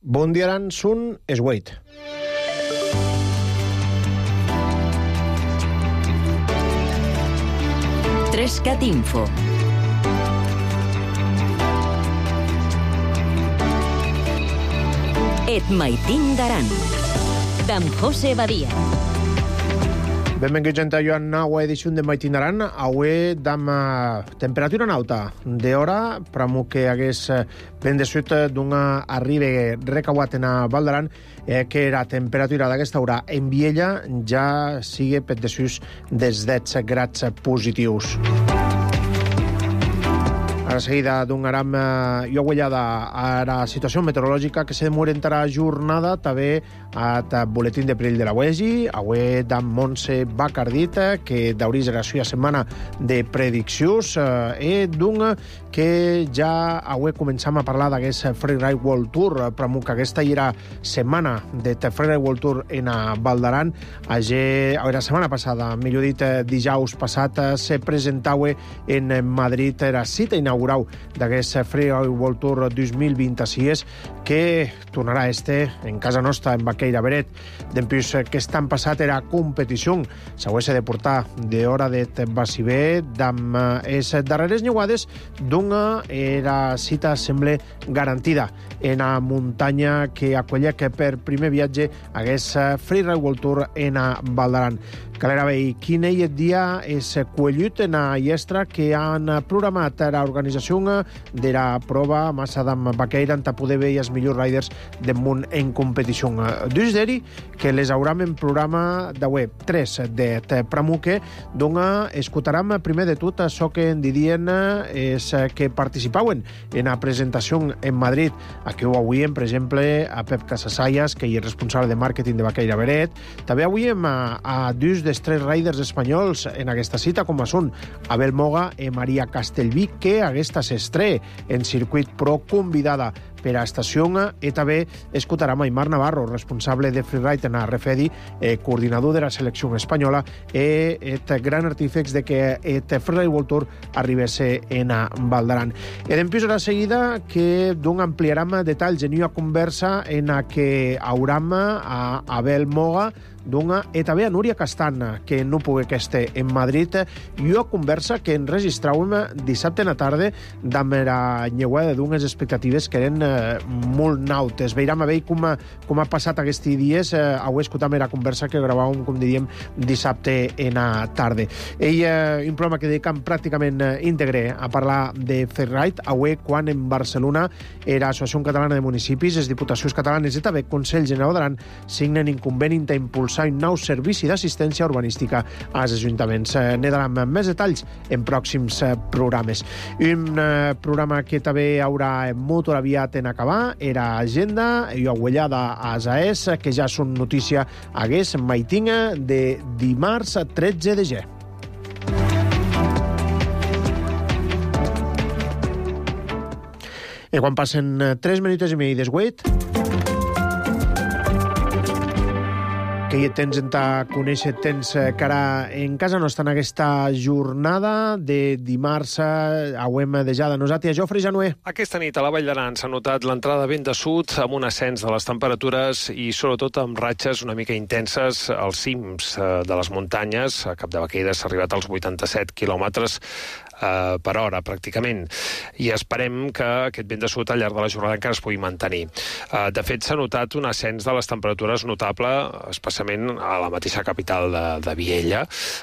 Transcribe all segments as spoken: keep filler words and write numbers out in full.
Bundiaran sun esweit. Trescat Info. Et maitin daran. D'en José Badia. Benvinguts a una nova edició de Maitin Daran. Avui dam temperatura nauta d'hora, pramo que hagués ben de suit d'una arribe recauat en Val d'Aran, eh, que la temperatura d'aquesta hora en Viella ja sigue per de sus dels deu grads positius. A seguida donarem eh, jo guanyada a la situació meteorològica que se demorentarà jornada també al boletín de perill de la U E G I. Avui d'en Montse Bacardit, que d'aurís la seva setmana de prediccions, eh, i d'un que ja avui començam a parlar d'aquest Freeride World Tour, però que aquesta era setmana de Freeride World Tour en Val d'Aran. La setmana passada, millor dit, dijous passat, se presentava en Madrid la cita inaugural d'aquest Freeride World Tour dos mil vint-i-sis, que tornarà este en casa nostra, en Baqueira Beret. Dempús que estan passat era competició. S'hagués de portar d'hora de Baciber d'amb les darreres nyuades d'una era cita sembla garantida en la muntanya que acollia que per primer viatge hagués Freeride World Tour en Val d'Aran. Calera veure quin és el dia és collut en la llestra que han programat l'organització de la prova massa d'en Baqueira en poder veure els millors riders del món en competició. Dus d'eri que les hauram en programa d'avui, tres de Pramuque, d'on escoltarem primer de tot això que en didien és que participaven en la presentació en Madrid. Aquí ho avui, per exemple, a Pep Casasayas, que és responsable de màrqueting de Baqueira Beret. També avui a, a dos dels tres riders espanyols en aquesta cita, com són Abel Moga i Maria Castellví, que aquesta s'estre en circuit pro convidada per a estació, i també escoltarem a Aimar Navarro, responsable de Freeride en Refedi, eh, coordinador de la selecció espanyola, i el gran artífex de que el Freeride World Tour arribés en Val d'Aran. I d'empús a la seguida que d'un ampliarem detalls en una conversa en la que hauram a Abel Moga, d'una, i també a Núria Castana, que no pogué que esté en Madrid, i una conversa que enregistràvem dissabte a la tarda d'amb la nyeuada d'unes expectatives que eren eh, molt nautes. Veurem a veure com, com ha passat aquests dies. Eh, avui escoltam la conversa que gravàvem, com diríem, dissabte en la tarda. Ell, eh, un programa que dedicam pràcticament eh, íntegre a parlar de Freeride. Avui, quan en Barcelona l'Associació Catalana de Municipis, les Diputacions Catalanes i també Consell General d'Aran signen un conveni d'impulsar un nou servici d'assistència urbanística als ajuntaments. Ne daran més detalls en pròxims programes. Un eh, programa que també haurà molt aviat en acabar era Agenda i aguellada a Asaès, que ja són notícia hagués maitinga de dimarts tretze de gener. I quan passen tres minuts i mig d'esguet, que hi tens en ta conèixer tens cara en casa nostra en aquesta jornada de dimarts. Auem de ja de nosaltres. Jofre Janué. Aquesta nit a la Vall d'Aran s'ha notat l'entrada vent de sud amb un ascens de les temperatures i sobretot amb ratxes una mica intenses als cims de les muntanyes. A Capdevaqueira s'ha arribat als vuitanta-set quilòmetres Uh, per hora, pràcticament. I esperem que aquest vent de sud al llarg de la jornada encara es pugui mantenir. Uh, de fet, s'ha notat un ascens de les temperatures notable, especialment a la mateixa capital de, de Viella,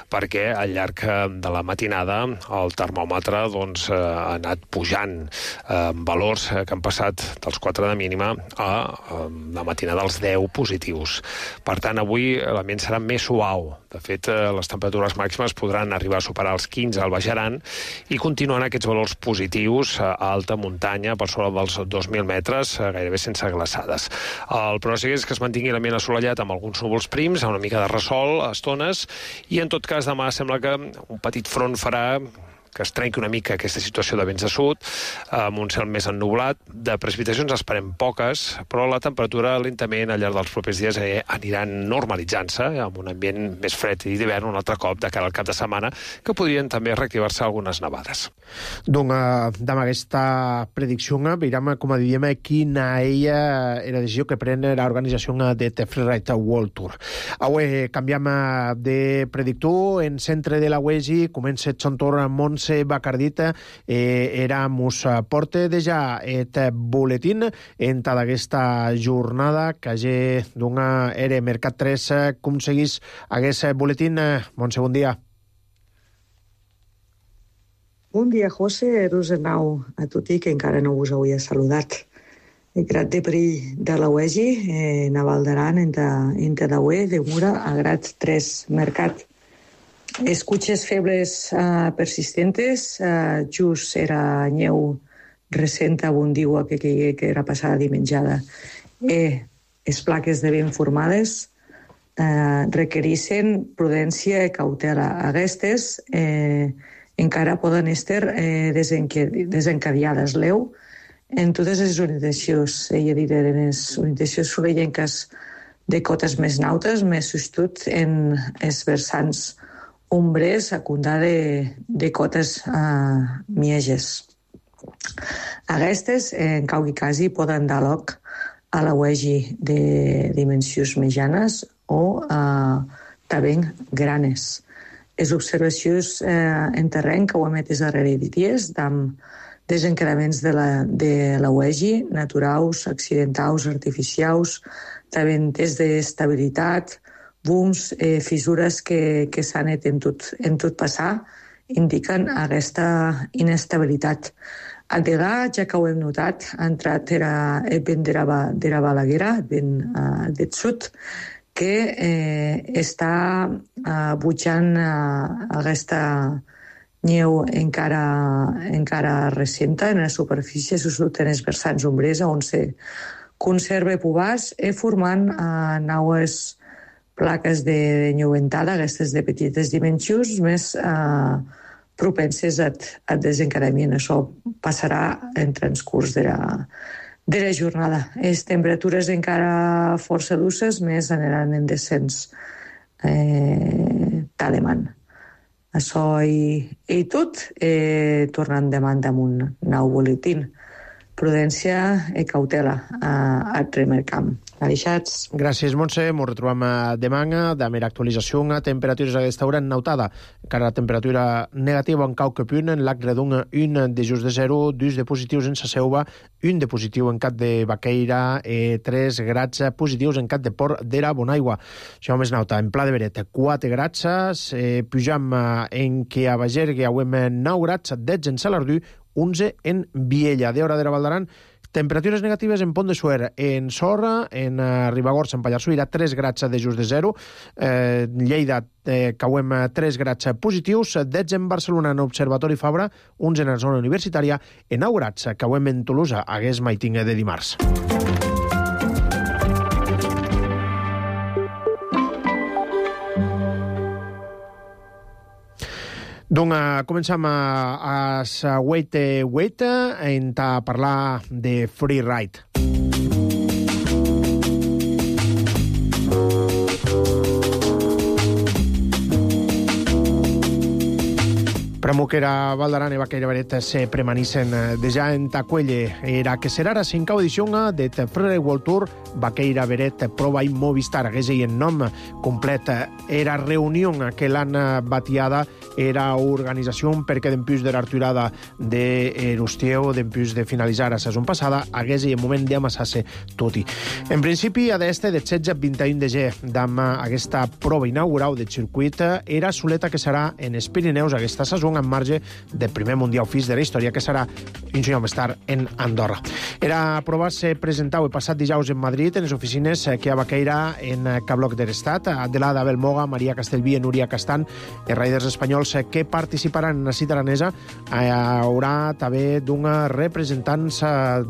perquè al llarg de la matinada el termòmetre doncs, uh, ha anat pujant uh, valors que han passat dels quatre de mínima a uh, la matinada dels deu positius. Per tant, avui l'ambient serà més suau. De fet, uh, les temperatures màximes podran arribar a superar els quinze al Baix Aran i continuen aquests valors positius a alta muntanya, per sobre dels dos mil metres, gairebé sense glaçades. El pronòstic és que es mantingui l'ambient assolellat amb alguns núvols prims, amb una mica de ressol a estones, i en tot cas demà sembla que un petit front farà que es trenqui una mica aquesta situació de vents de sud, amb un cel més ennublat. De precipitacions esperem poques, però la temperatura lentament al llarg dels propers dies eh, aniran normalitzant-se, eh, amb un ambient més fred i d'hivern un altre cop de cara al cap de setmana, que podrien també reactivar-se algunes nevades. Donc, damb aquesta predicció, veiem, com diem, quina ella era la decisió que pren l'organització de The Freeride World Tour. Avui canviem de predictor, en centre de la U E S I, comença el xontor Montse Bacardita, eh, era mos porta deja et boletín en tota aquesta jornada que ja d'una era Mercat tres, com seguís aquest boletín? Montse, bon dia. Bon dia, José, Rosenau, a tutti, que encara no us hauria saludat. El Grat de perill de la U E S I, eh, Naval d'Aran, entre la U E, de Mura, a Grat tres Mercat. Escuches febles uh, persistentes, uh, just era nyeu recent abundiua que, que, que era passada dimenjada. Eh, les plaques de vent formades uh, requereixen prudència i cautela. Aquestes eh, encara poden estar eh, desencadiades l'eu en totes les orientacions, ella dit, en les orientacions sorellenques de cotes més nautes, més sostut en els versants ombres a condar de, de cotes uh, mieges. Aquestes, en cau i quasi, poden dar lloc a la U E S I de dimensions mitjanes o uh, també granes. Les observacions eh, en terreny que ho emetes darrere de dies, amb desencadaments de la, de la U E S I, naturals, accidentals, artificials, també tests d'estabilitat, booms, eh, fissures que, que s'han net en tot, en tot passar, indiquen aquesta inestabilitat. A Degà, ja que ho hem notat, ha entrat era, el vent de la, de la Balaguera, el vent uh, del sud, que eh, està uh, butjant uh, aquesta neu encara, encara recenta en la superfície, sobretot en els versants ombrers, on se conserva pobars, i formant uh, naues plaques de, de nyeuentada, aquestes de petites dimensions, més eh, propenses a, a desencadament. Això passarà en transcurs de la, de la jornada. Les temperatures encara força dulces, més aniran en descens eh, talemant. Això i, i tot, eh, tornant demant amb un nou boletín. Prudència i cautela a, a Tremercamp. Aleixats. Gràcies, Montse. Ens retrobem demà amb l'actualització. Temperatures a aquesta hora en nautada. Encara la temperatura negativa en cau que punt, en l'ac redon un de just de zero, dos de positius en Saseuva, un de positiu en Cat de Baqueira, eh, tres grats positius en Cat de Port d'Era Bonaigua. Això més nauta. En Pla de Beret, quatre grats, eh, pujam en que a Bagergue auem nou grats, dotze en Salardú, onze en Viella. De hora de la Valdaran, temperatures negatives en Pont de Suert, en Sorra, en uh, Ribagorça, en Pallarsuira, tres grats de just de zero, eh, Lleida, eh, cauem tres grats positius, dotze en Barcelona, en Observatori Fabra, onze en la zona universitària, en nou grats, cauem en Tolosa, hagués maiting de dimarts. Donc, uh, comencem a, a Wait, Wait, en a parlar de Freeride. Pramuquera, Valdaran i Baqueira Beret se premanissen deja en Tacuelle. Era que serà la cinca edició de The Freeride World Tour Baqueira Beret Prova i Movistar. Hagués en nom complet. Era reunió que l'han batiada, era organització perquè dempús de l'arturada de l'Ustieu, dempús de finalitzar la saison passada, hagués en moment d'amassar-se tot-i. En principi, a d'este de setze a vint i un de gener, d'amb aquesta prova inaugural del circuit, era soleta que serà en els Pirineus aquesta saison en marge del primer Mundial Fis de la història, que serà un any més tard en Andorra. Era prova se presentau el passat dijous en Madrid, en les oficines que a Baqueira, en Cabloc de l'Estat, Adelada Belmoga, Maria Castelví i Núria Castan, els raiders espanyols que participaran en la cita aranesa. Hi haurà també d'una representants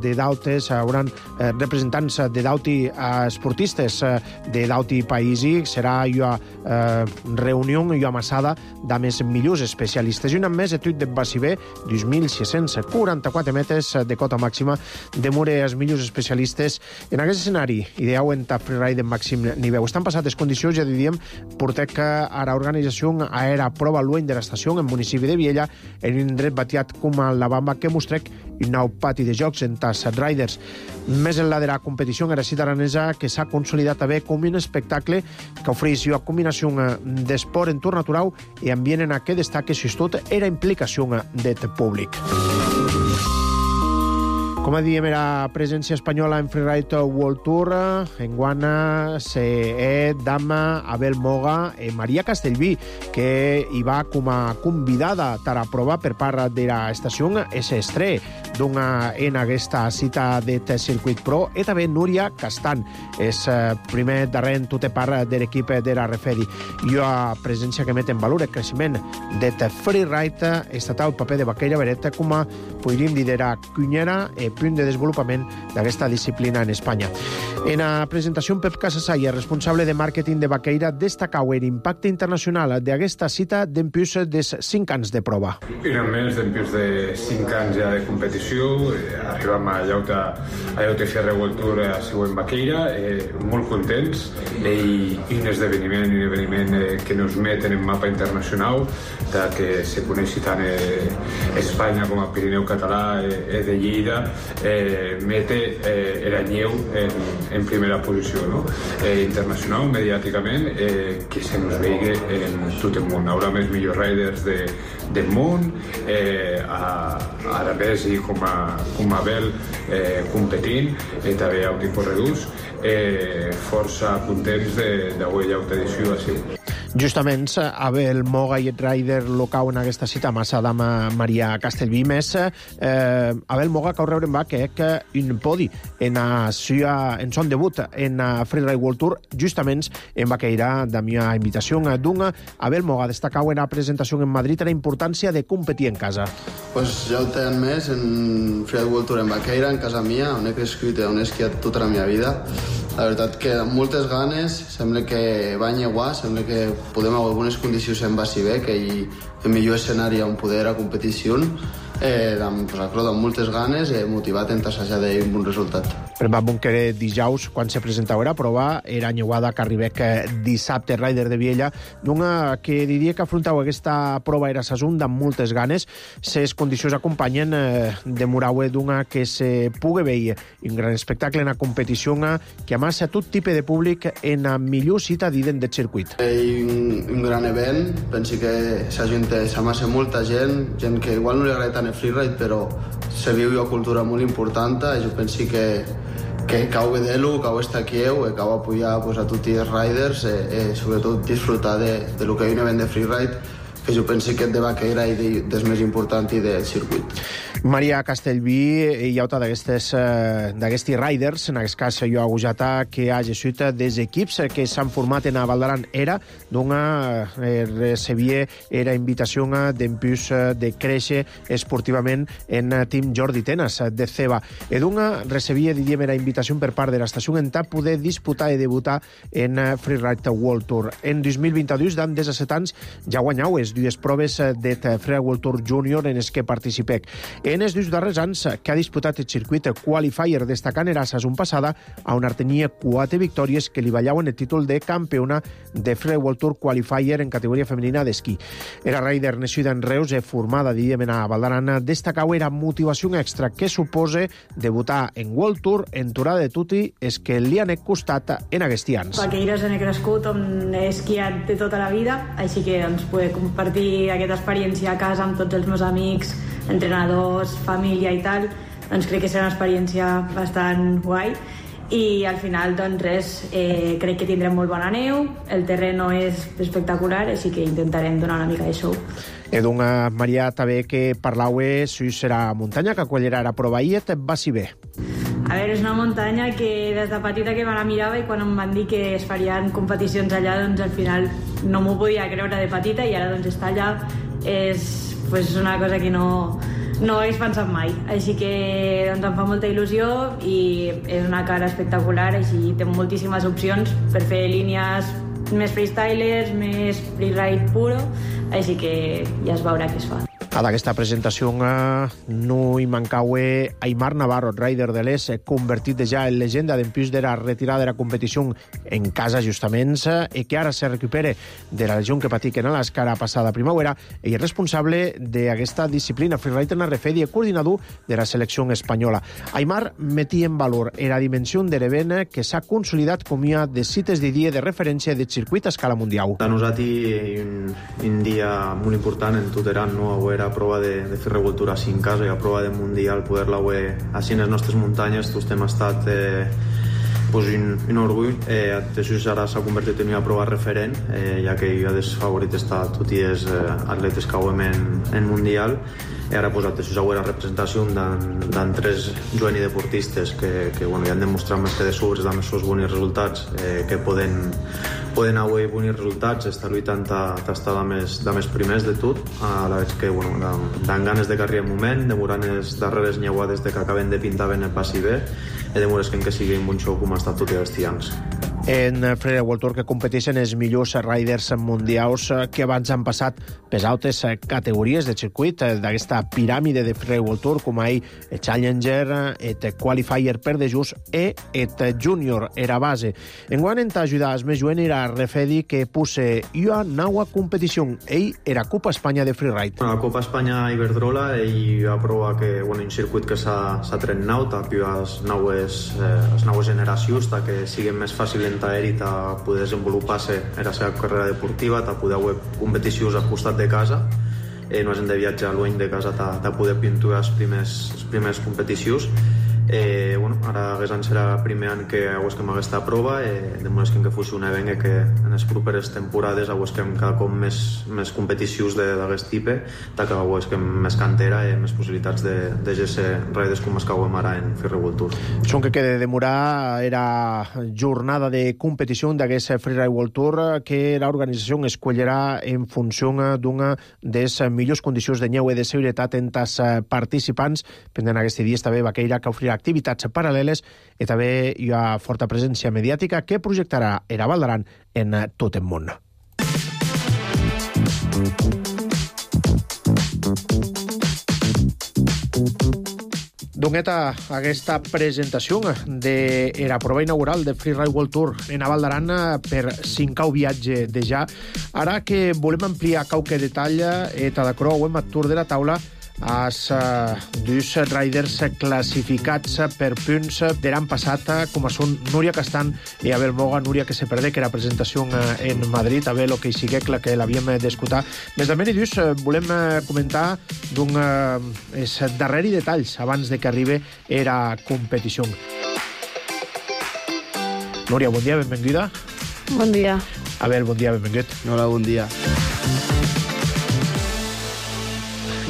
de dautes, hauran representants de dauti esportistes de dauti païsi. Serà una reunió, una amassada de més millors especialistes Impressiona més etut de Bassibé, dos mil sis-cents quaranta-quatre metres de cota màxima, demure els millors especialistes en aquest escenari, ideau en ta freeride en màxim nivell. Estan passades condicions, ja diríem, portec a la organització aera prova lueny de l'estació en municipi de Viella, en un indret batiat com a la Bamba, que mostrec un nou pati de jocs en tas riders. Més enllà de la competició en la cita aranesa, que s'ha consolidat també com un espectacle que ofereix una combinació d'esport en tour natural i ambient en què destaca sobretot era implicació del públic. Com a diem, era presència espanyola en Freeride World Tour. Enguana se Dama, Abel Moga i Maria Castellví, que hi va com a convidada per a prova per part de l'estació S Estre d'una en aquesta cita de Circuit Pro, i també Núria Castan, és primer darrer en tota part de l'equip de la Refedi. I una presència que met en valor el creixement de Freeride estatal, paper de Baqueira Beret com a, podríem dir, de la cunyera i punt de desenvolupament d'aquesta disciplina en Espanya. En la presentació, Pep Casasalla, responsable de màrqueting de Baqueira, destacau l'impacte internacional d'aquesta cita d'empius de cinc anys de prova. Eren més d'empius de cinc anys ja de competició. Arribam a Llauta, a Llauta F R World Tour a següent Baqueira, eh, molt contents, i, i un esdeveniment, un esdeveniment eh, que nos meten en mapa internacional, de que se coneixi tant eh, Espanya com a Pirineu català eh, de Lleida, eh, mete eh, Eranyeu en, en primera posició, no? eh, internacional, mediàticament, eh, que se nos veigui en tot el món. Haurà més millors riders de, del món, eh, a, a Arabesi com a, com a Abel eh, competint, i també a Audi Corredús, eh, força contents d'avui llauta edició així. Justament, Abel Moga i el rider local en aquesta cita, massa dama Maria Castellví, més eh, Abel Moga cau rebre en va que que un podi en, a, en son debut en a Freeride World Tour, justament en Baqueira, de mi invitació d'una Abel Moga destacau en la presentació en Madrid la importància de competir en casa. Pues ja ho tenen més en Freeride World Tour en Baqueira, en casa mia, on he crescut i on he esquiat tota la meva vida. La veritat que amb moltes ganes, sembla que va enyeguar, sembla que podem haver algunes condicions en Bassibé, que hi ha el millor escenari on poder a competició, eh, amb, pues, amb moltes ganes i motivat en tassejar d'un bon resultat. Per va bon que dijous, quan se presentava la prova, era enyeguada que arribés dissabte, rider de Viella, d'una que diria que afrontava aquesta prova era sasunda amb moltes ganes. Les condicions acompanyen eh, de Moraue d'una que se pugui veure un gran espectacle en la competició que amassa tot tipus de públic en la millor cita d'ident del circuit. I un, un gran event, penso que s'amassa molta gent, gent que igual no li agrada tant el freeride, però se viu una cultura molt important i jo penso que que cau vedelo, cau estar aquí, e cau apoyar pues, a tots els riders e, e sobretot disfrutar de, de lo que hi ha un event de freeride que jo penso que és de Baqueira i de, des més important i del circuit. Maria Castellví hi ha d'aquests riders, en aquest cas jo agujata que ha gesut des equips que s'han format en a Valdaran era d'una eh, recebia era invitació d'empius de créixer esportivament en Team Jordi Tenas de Ceba. E d'una recebia, diríem, era invitació per part de l'estació en ta poder disputar i debutar en Freeride World Tour. En dos mil vint-i-dos, d'an disset anys, ja guanyau les dues proves de Freeride World Tour Junior en les que participec. En els dos darrers anys que ha disputat el circuit qualifier destacant era la saison passada on tenia quatre victòries que li vallaven el títol de campiona de Freeride World Tour qualifier en categoria femenina d'esquí. Era rider nascuda en Reus i formada, diríem, a Valdaran, destacau era motivació extra que suposa debutar en World Tour en Turada de Tuti és que li han costat en aquests anys. Baqueires on he crescut, on he esquiat de tota la vida, així que doncs, poder compartir aquesta experiència a casa amb tots els meus amics, entrenadors, família i tal, doncs crec que serà una experiència bastant guai. I al final, doncs res, eh, crec que tindrem molt bona neu, el terreno és espectacular, així que intentarem donar una mica de show. Edunga Maria també que parlaue si serà muntanya que quallera la prova i et va si bé. A veure, és una muntanya que des de petita que me la mirava i quan em van dir que es farien competicions allà, doncs al final no m'ho podia creure de petita i ara doncs estar allà és pues, una cosa que no, no hagués pensat mai. Així que doncs, em fa molta il·lusió i és una cara espectacular, així té moltíssimes opcions per fer línies més freestylers, més freeride puro, així que ja es veurà què es fa. A d'aquesta presentació eh, no hi mancaue Aimar Navarro, rider de l'Es, convertit ja en llegenda d'empús de la retirada de la competició en casa justament, i que ara se recupere de la lesió que patiquen a l'escara passada primavera, i és responsable d'aquesta disciplina freeride en Arrefedi i coordinador de la selecció espanyola. Aimar metia en valor la dimensió de l'event que s'ha consolidat com una de cites de dia de referència del circuit a escala mundial. Per nosaltres un, un dia molt important en tot Aran, no? A prova de, de fer revoltura així en casa i a prova de mundial poder-la veure així en les nostres muntanyes. Tots hem estat eh, pues un, un orgull. Eh, això ara s'ha convertit en una prova referent, eh, ja que jo des favorit està tots els eh, atletes que veiem en, en mundial. I ara pues, això és la representació d'en tres joves deportistes que, que bueno, ja han demostrat més que de sobres amb els seus bons resultats, eh, que poden poden haver bons resultats, estar lluitant d'estar de més, de més primers de tot. A la vegada que bueno, dan ganes de carrer un moment, demorant les darreres nyeuades de que acaben de pintar ben el passi bé, i demores que, que sigui un bon show com ha estat tots els dies. En Freeride World Tour que competeixen els millors riders mundials que abans han passat per altres categories de circuit d'aquesta piràmide de Freeride World Tour, com ahir el Challenger, el Qualifier per de just i el Junior era base. Enguany en t'ajudar els més joven era Refedi que puse una nova competició. Ell era Copa Espanya de Freeride. Bueno, la Copa Espanya Iberdrola ell va provar que bueno, un circuit que s'ha tret nou, tapiu les noves, eh, les noves generacions, que siguin més fàcil aeri a poder desenvolupar-se en la seva carrera deportiva, a poder haver competicions al costat de casa, eh, no has de viatjar lluny de casa a poder pinturar les primers, les primers competicions. Eh, bueno, ara aquest any serà el primer any que aguesquem aquesta prova, eh, de moment que fos un event que en les properes temporades aguesquem cada cop més, més competicions d'aquest tipus, que aguesquem més cantera i més possibilitats de, de ser riders com els que aguem ara en Freeride World Tour. Són que quede demorar era jornada de competició d'aquest Freeride World Tour que l'organització escollerà en funció d'una de les millors condicions de neu i de seguretat en els participants. Pendent aquest dia també Baqueira, que ofrirà activitats paral·leles i també hi ha forta presència mediàtica que projectarà era Val d'Aran en tot el món. Doneta aquesta presentació de la prova inaugural de Freeride World Tour en Val d'Aran per cinquè viatge de ja. Ara que volem ampliar qualque detall i de creuem a tour de la taula els uh, dos riders classificats per punts de l'any passat, com són Núria Castan i Abel Moga. Núria que se perdé que la presentació en Madrid, Abel, que hi sigui, que l'havíem d'escoltar. Més de menys, dius, volem comentar d'un uh, darreri detalls abans de que arribi la competició. Núria, bon dia, benvinguda. Bon dia. Abel, bon dia, benvingut. Hola, bon dia.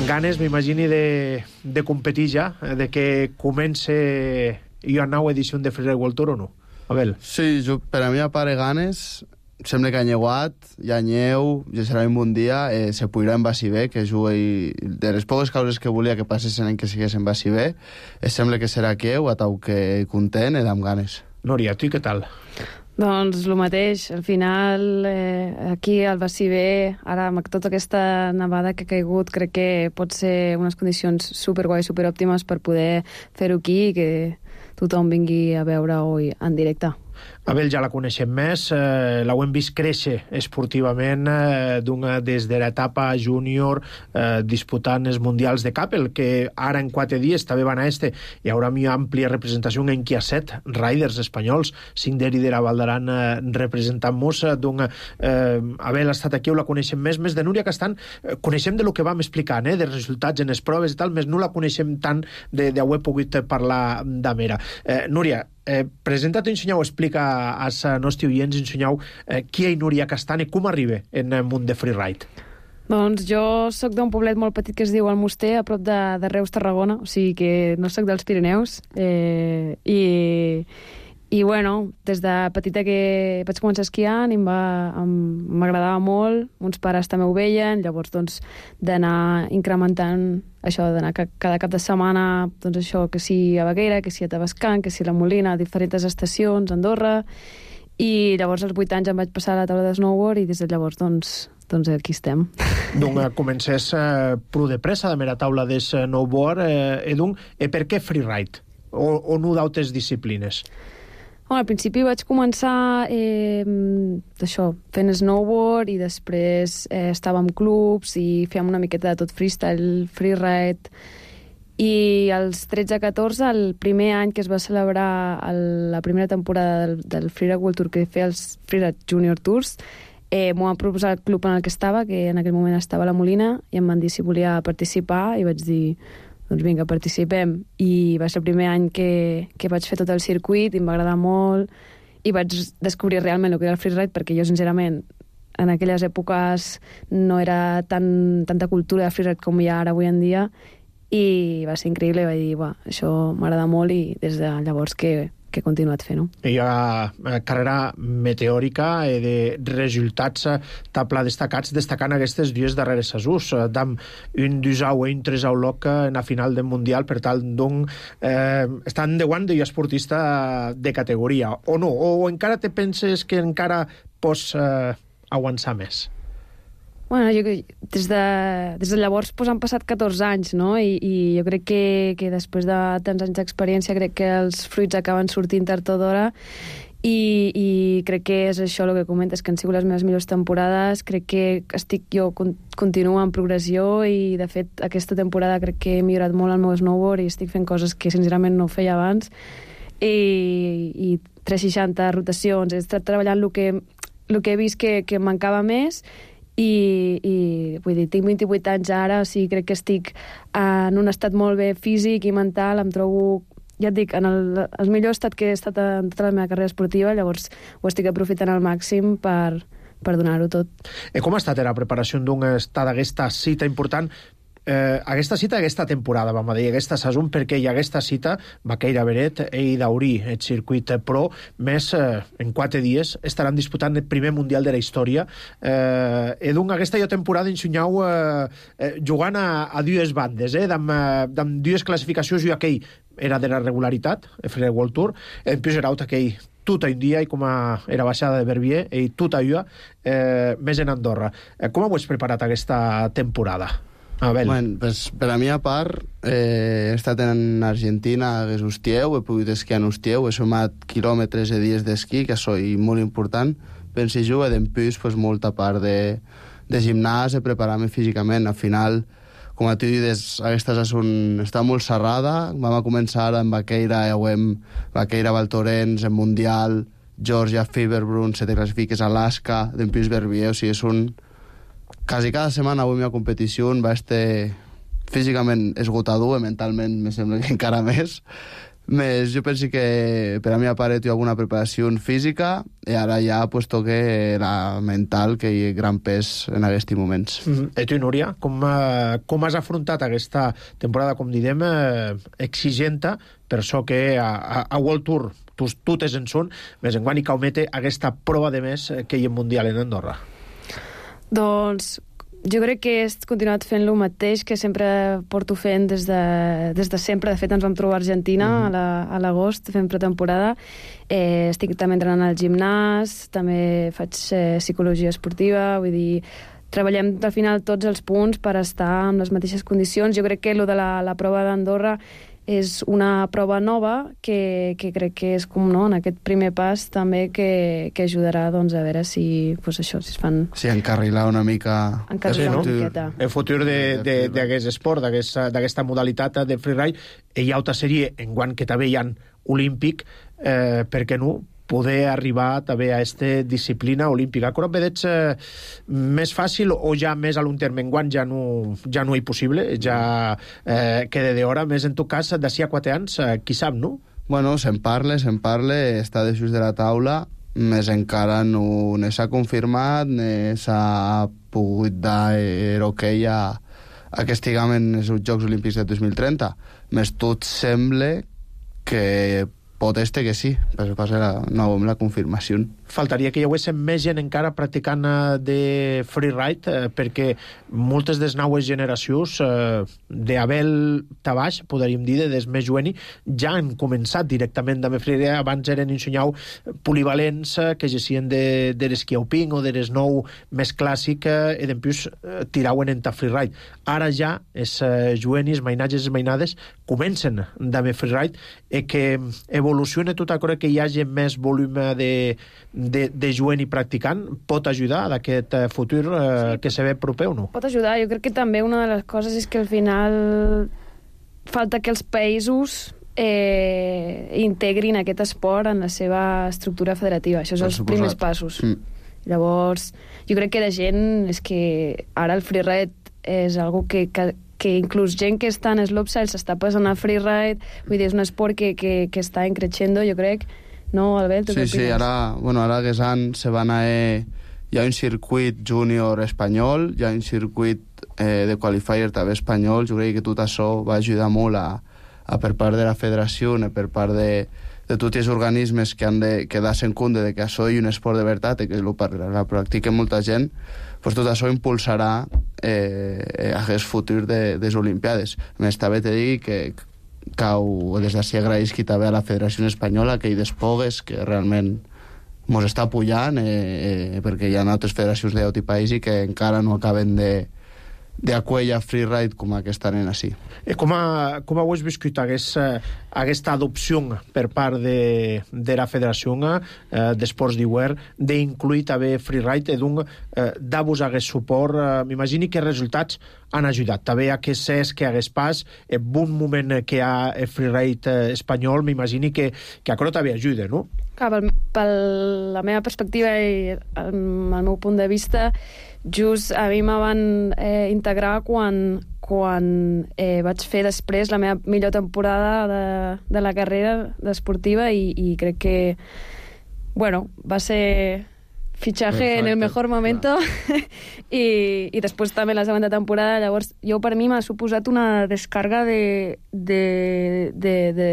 Ganes, m'imagini, de, de competir ja, de que comence una nova edició de Freeride World Tour o no? Abel. Sí, jo, per a mi, a part de ganes, sembla que ha nyeuat, hi ha nyeu, ja serà un bon dia, eh, se podrà en Bassibé, que jugui de les poques causes que volia que passessin en que sigués en Bassibé, eh, sembla que serà queu, a tau que content i amb ganes. Núria, tu i què tal? Doncs el mateix, al final eh, aquí al Bassibé, ara amb tota aquesta nevada que ha caigut, crec que pot ser unes condicions superguai, superòptimes per poder fer-ho aquí i que tothom vingui a veure-ho en directe. Abel ja la coneixem més, eh, l'hem vist créixer esportivament eh, d'una, des de l'etapa júnior eh, disputant els mundials de Capel, que ara en quatre dies també van a este. Hi haurà una àmplia representació en qui ha set riders espanyols, cinc d'eri de la Val d'Aran eh, representant-nos. Eh, Abel ha estat aquí, la coneixem més, més de Núria Castan, eh, coneixem de lo que vam explicant, eh, de resultats en les proves i tal, més no la coneixem tant d'haver pogut parlar d'amera. Eh, Núria, Eh, presenta't i ensenyau, explica als nostres oients, ensenyau eh, qui és Núria Castan i com arriba en el món de freeride. Doncs jo sóc d'un poblet molt petit que es diu Almoster, a prop de, de Reus, Tarragona, o sigui que no sóc dels Pirineus, eh, i, i bueno, des de petita que vaig començar esquiant i m'agradava molt, uns pares també ho veien, llavors doncs d'anar incrementant això, d'anar cada cap de setmana, doncs això, que si a Baqueira, que si a Tavascan, que si a la Molina, a diferents estacions, a Andorra, i llavors als vuit anys em vaig passar a la taula de snowboard i des de llavors doncs, doncs aquí estem. Donc comences eh, pro de pressa de mera taula de snowboard eh, e donc, e per què freeride? O, o no d'altres disciplines? Bueno, al principi vaig començar eh, això, fent snowboard i després eh, estava en clubs i fèiem una miqueta de tot freestyle, freeride. I als tretze a catorze, el primer any que es va celebrar el, la primera temporada del, del Freeride World Tour que feia els Freeride Junior Tours, eh, m'ho van proposar el club en el que estava, que en aquell moment estava a la Molina, i em van dir si volia participar i vaig dir doncs vinga, participem. I va ser el primer any que, que vaig fer tot el circuit i em va agradar molt i vaig descobrir realment el que era el freeride, perquè jo, sincerament, en aquelles èpoques no era tan, tanta cultura de freeride com hi ha ara avui en dia, i va ser increïble, i vaig dir, va, això m'agrada molt, i des de llavors que, que he continuat fent-ho. Hi ha carrera meteòrica eh, de resultats eh, tabla destacats, destacant aquestes dues darreres assús, eh, d'am un dusau i un tresau loc en la final del Mundial, per tal, doncs, eh, estan de guant de esportista de categoria, o no? O encara te penses que encara pots eh, aguantar més? Bueno, jo, des, de, des de llavors pues, han passat catorze anys, no? I, i jo crec que, que després de tants anys d'experiència crec que els fruits acaben sortint tard o d'hora, i, i crec que és això el que comentes, que han sigut les meves millors temporades. Crec que estic jo continuo en progressió, i de fet aquesta temporada crec que he millorat molt el meu snowboard i estic fent coses que sincerament no feia abans, i, i tres seixanta rotacions, he estat treballant el que, el que he vist que, que mancava més. I, i vull dir, tinc vint-i-vuit anys ara, o sigui, crec que estic en un estat molt bé físic i mental, em trobo, ja et dic, en el, el millor estat que he estat en tota la meva carrera esportiva, llavors ho estic aprofitant al màxim per, per donar-ho tot. E com ha estat la preparació d'un estat d'aquesta cita important? Eh, aquesta cita, aquesta temporada, vam dir, aquesta saison, perquè hi ha aquesta cita, Baqueira Beret i Daurí, el circuit pro, més eh, en quatre dies estaran disputant el primer Mundial de la història. Eh, e doncs aquesta temporada ensenyau eh, eh, jugant a, a dues bandes, eh, amb, amb dues classificacions, i aquell era de la regularitat, el Freeride World Tour, en plus era aquell tot un dia, i com a, era baixada de Verbier, i tot allò eh, més en Andorra. Eh, com ho has preparat aquesta temporada? Bueno, pues, per a mi a part eh, he estat en Argentina a Ustieu, he pogut esquiar en Ustieu, he sumat quilòmetres de dies d'esquí, que això és molt important. Penso jo, he d'empús pues, molta part de, de gimnàs, de preparar-me físicament. Al final, com a tu dius, aquesta saison està molt serrada. Vam a començar amb Baqueira, ja ho hem, Baqueira, Valtorens, en Mundial, Georgia, Fiberbrunn, se te classifiques a Alaska, d'empús Verbier, o sigui, és un... Quasi cada setmana avui a competició va estar físicament esgotador, i mentalment me sembla que encara més. Més, jo penso que per a mi a part he alguna preparació física, i ara ja pues, toque la mental, que hi ha gran pes en aquests moments. Mm. I tu, Núria, com, uh, com has afrontat aquesta temporada, com direm, uh, exigenta, per això que a, a, a World Tour totes en són, més en quan hi caumete aquesta prova de més que hi ha Mundial en Andorra? Doncs jo crec que he continuat fent el mateix que sempre porto fent des de, des de sempre. De fet, ens vam trobar a Argentina mm-hmm. a l'agost, fent pretemporada. Eh, estic també entrenant al gimnàs, també faig eh, psicologia esportiva, vull dir, treballem al final tots els punts per estar en les mateixes condicions. Jo crec que lo de la, la prova d'Andorra és una prova nova que, que crec que és com, no, en aquest primer pas també que, que ajudarà doncs, a veure si, pues això, si es fan... Sí, encarrilar una mica... Encarrilar sí, no? una miqueta. El futur d'aquest esport, d'aquesta modalitat de freeride, hi ha altra sèrie en guant que també hi ha olímpic, eh, per què no poder arribar també a aquesta disciplina olímpica. Però veig eh, més fàcil o ja més a l'un terme enguant ja no, ja no és possible, ja eh, queda d'hora, més en tot cas d'ací a quatre anys, eh, qui sap, no? Bueno, se'n parla, se'n parla, està de just de la taula, més encara no, no s'ha confirmat, no s'ha pogut dar el okay a, a que estiguem en els Jocs Olímpics de dos mil trenta. Més tot sembla que pot este que sí, però passa la, no amb la confirmació. Faltaria que hi hagués més gent encara practicant de freeride, eh, perquè moltes de les noves generacions eh, d'Abel Tabaix, podríem dir, de des més joves, ja han començat directament amb freeride. Abans eren ensenyau polivalents eh, que gessien de, de l'esquí alpin o de l'esnou més clàssic eh, i després eh, tirauen en ta freeride. Ara ja els eh, jovenis, mainatges i mainades comencen amb freeride i que evoluciona tot això que hi hagi més volum de, de, de jovent i practicant pot ajudar a aquest futur eh, sí, que se ve proper o no? Pot ajudar. Jo crec que també una de les coses és que al final falta que els països eh, integrin aquest esport en la seva estructura federativa. Això són els primers passos. Mm. Llavors, jo crec que la gent és que ara el freeride és algo que, que que inclús gent que està en slopestyle s'està passant a freeride, vull dir, és un esport que, que, que està increixendo, jo crec, no, Albert? Sí, sí, ara, bueno, ara que s'han, se van a... Eh, hi ha un circuit júnior espanyol, hi ha un circuit eh, de qualifier també espanyol, jo crec que tot això va ajudar molt a, a per part de la federació, per part de, de tots els organismes que han de quedar-se en compte de que això és un esport de veritat i que lo, la practica molta gent, pues tot això impulsarà eh, aquest futur de, de les Olimpiades. A més, també te digui que cau, des d'ací agraïsc també a la Federació Espanyola que hi despogues, que realment mos està pujant, eh, eh, perquè hi ha altres federacions d'altres països que encara no acaben de d'aquella freeride com aquesta nena sí. I com, a, com heu viscut aquesta, aquesta adopció per part de, de la Federació eh, d'Esports d'Hivern d'incluir també freeride, d'un eh, dar-vos aquest suport? Eh, M'imagini que resultats han ajudat. També a que s'és que hagués pas, en bon moment que hi ha el freeride espanyol, m'imagini que, que això també ajuda, no? Clar, per, per la meva perspectiva i el, el meu punt de vista, just a mi me van eh, integrar quan, quan eh, vaig fer després la meva millor temporada de, de la carrera esportiva i, i crec que, bueno, va ser fichaje Perfecte. En el mejor momento i, i després també la segona temporada. Llavors, jo per mi m'ha suposat una descarga de de, de, de,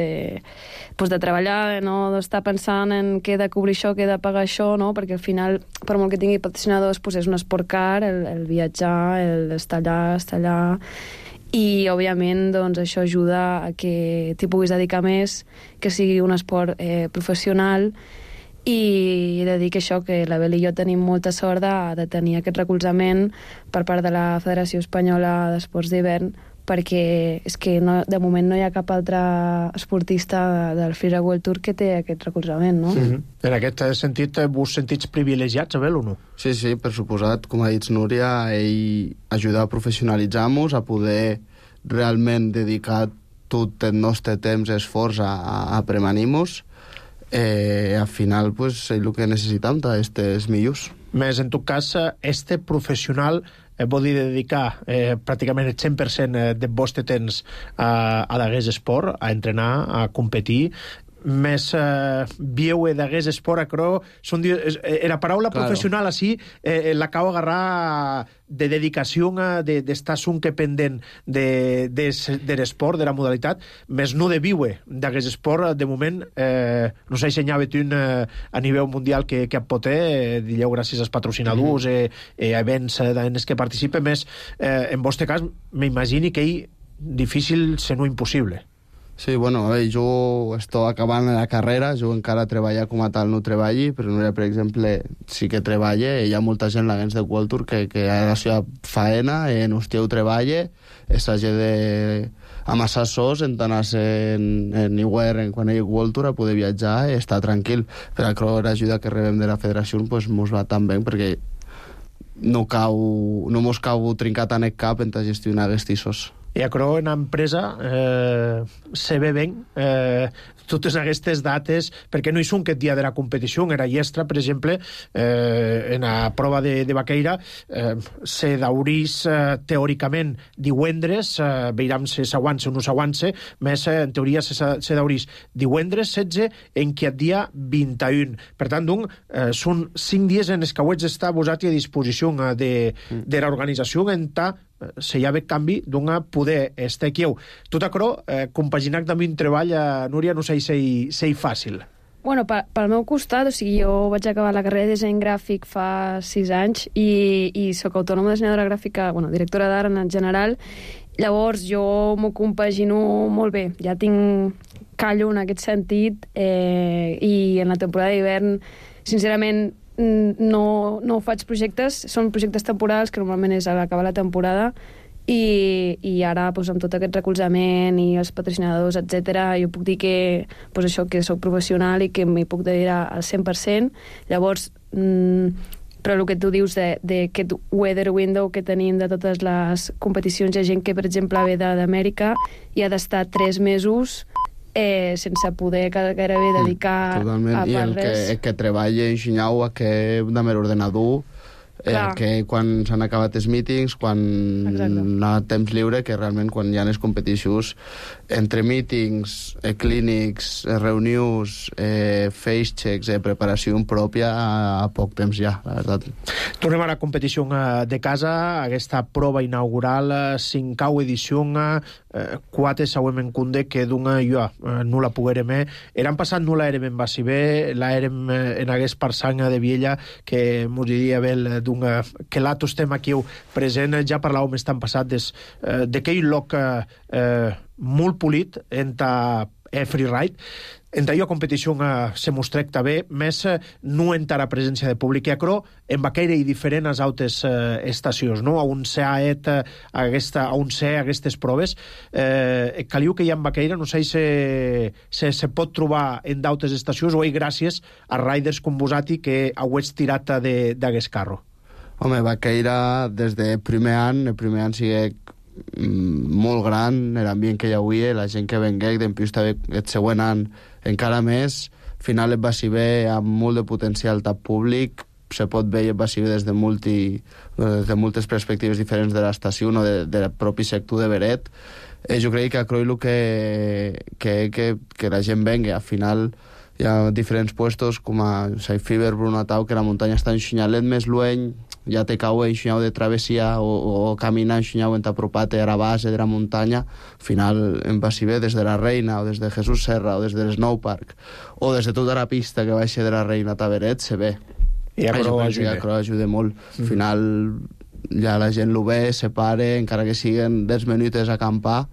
pues de treballar, no d'estar pensant en què he de cobrir això, què he de pagar això, no? Perquè al final, per molt que tingui patrocinadors, pues és un esport car, el, el viatjar, el estar allà, estar allà, i òbviament doncs, això ajuda a que t'hi puguis dedicar més, que sigui un esport eh, professional. I he de dir que això, que l'Abel i jo tenim molta sort de, de tenir aquest recolzament per part de la Federació Espanyola d'Esports d'Hivern, perquè és que no, de moment no hi ha cap altre esportista del Freeride World Tour que té aquest recolzament, no? Mm-hmm. En aquest sentit, vos sentits privilegiats, Abel, o no? Sí, sí, per suposat. Com ha dit Núria, ell ajuda a professionalitzar-nos, a poder realment dedicar tot el nostre temps i esforç a, a premanir-nos. Eh, al final, pues, és el que necessitam d'aquestes millors. Més, en tot cas, este professional eh, vol dir dedicar eh, pràcticament el cent per cent del vostre temps a, a l'Agués Esport, a entrenar, a competir. Més eh, vieu d'Agués Esport, acro, són, eh, la paraula claro. Professional així eh, l'acabo d'agarrar de dedicació, de, d'estar sempre pendent de, de, de l'esport, de la modalitat, més no de viure d'Agués Esport. De moment, eh, no s'ha ensenyat un eh, a nivell mundial que, que pot ter, eh, digueu, gràcies als patrocinadors, mm. eh, eh, events eh, en els que participe, més eh, en vostre cas, m'imagini que és difícil, si no impossible. Sí, bueno, a veure, jo estic acabant la carrera, jo encara treballar com a tal no treballi, però Núria, per exemple, sí que treballa, hi ha molta gent l'Agués de World Tour que, que a la seva faena, en hòstia ho treballa, s'hagi de amassar sos, en anar-se en, en Hivern, quan hi ha World Tour, a poder viatjar i estar tranquil. Per això l'ajuda que rebem de la federació pues, mos va tan bé, perquè no, cau, no mos cau trincar tant el cap en gestionar aquests sos. I acro en empresa eh, se ve ben eh, totes aquestes dates, perquè no hi són aquest dia de la competició. Era llestra, per exemple, eh, en la prova de, de Baqueira, eh, se daurís eh, teòricament divendres, eh, veurem si s'aguança o no s'aguança, més eh, en teoria se, se daurís divendres setze en que el dia vint-i-un. Per tant, doncs, eh, són cinc dies en els que heu d'estar posats a disposició de, de l'organització en ta se hi ha bé canvi d'una poder estar aquí. Tot això, eh, compaginar també un treball, eh, Núria, no sé si és fàcil. Bueno, pel meu costat, o sigui, jo vaig acabar la carrera de disseny gràfic fa sis anys i, i sóc autònoma dissenyadora gràfica, bueno, directora d'art en general. Llavors, jo m'ho compagino molt bé. Ja tinc callo en aquest sentit eh, i en la temporada d'hivern, sincerament, no, no faig projectes. Són projectes temporals, que normalment és a l'acabar la temporada, i, i ara, doncs, amb tot aquest recolzament i els patrocinadors, etcètera, jo puc dir que, doncs, això, que soc professional i que m'hi puc dedicar al cent per cent. Llavors, mmm, però el que tu dius d'aquest weather window que tenim de totes les competicions, hi ha gent que, per exemple, ve d'Amèrica i ha d'estar tres mesos eh, sense poder gairebé dedicar Totalment. a I el que, el que treballa en Xinyau, que de mer ordenador, eh, que quan s'han acabat els mítings, quan Exacte. ha temps lliure, que realment quan hi ha les competicions, entre mítings, eh, clínics, eh, reunions, eh, face checks, eh, preparació pròpia, a, a poc temps ja, la veritat. Tornem a la competició de casa, aquesta prova inaugural, cinquau edició, eh, quatre següent en Cunde, que d'una jo eh, no la poguérem. Eran passat no la érem en Bassibé, la érem eh, en hagués Parsanga de Viella, que mos diria bé d'una... que l'altre estem aquí present, ja parlàvem estan passat des, eh, d'aquell lloc eh, eh, molt polit entre eh, freeride. Entre allò competició eh, se mostrec també, més eh, no entra a presència de públic, i acro en vaqueira i diferent als altres eh, estacions, no? A un se ha et eh, aquesta, a un se aquestes proves, eh, caliu que hi ha en vaqueira, no sé si se, se, se pot trobar en d'altres estacions o hi gràcies a riders com vosati que heu estirat d'aquest carro. Home, vaqueira des de primer any, el primer any sigue molt gran, l'ambient que hi havia, la gent que vengué, d'empius també el següent any encara més. Al final et va ser bé, amb molt de potencial tap públic, se pot veure va ser bé des de, multi, des de moltes perspectives diferents de l'estació, no de, del propi sector de Beret. Eh, jo crec que a Croilo que, que, que, que la gent vengui. Al final hi ha diferents puestos com a Saifiber, Brunatau, que la muntanya està en Xinyalet més lueny, ja te cau en Xinyau de travessia o, o caminar en Xinyau en t'apropat a la base de la muntanya. Al final em va ser bé des de la Reina o des de Jesús Serra o des de l'Snow Park o des de tota la pista que va ser de la Reina a Taberet, se ve. I a Cro ajuda. I a Cro ajuda molt. Al mm. final ja la gent lo ve, se pare, encara que siguen dez minuts a acampar,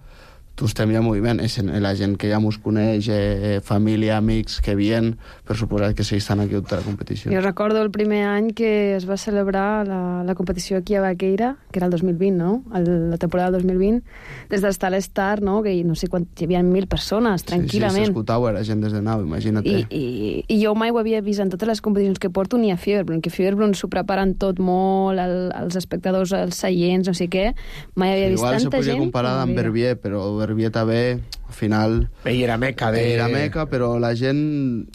tu estem ja en moviment. És la gent que ja mos coneix, eh, família, amics que vien, per suposat que sí estan aquí a tota la competició. Jo recordo el primer any que es va celebrar la, la competició aquí a Vaqueira, que era el dos mil vint, no? El, la temporada del dos mil vint, des d'estar a l'Star, no? Que no sé quan hi havia mil persones, tranquil·lament. Sí, sí, s'escoltava la gent des de nau, imagina't. I, i, I jo mai ho havia vist en totes les competicions que porto, ni a Feverbrunn, que Feverbrunn s'ho preparen tot molt, el, els espectadors, els seients, no sé què. Mai havia vist igual tanta gent. Igual se podia comparar amb Verbier, però Verbier també, al final... I era meca de... Era meca, però la gent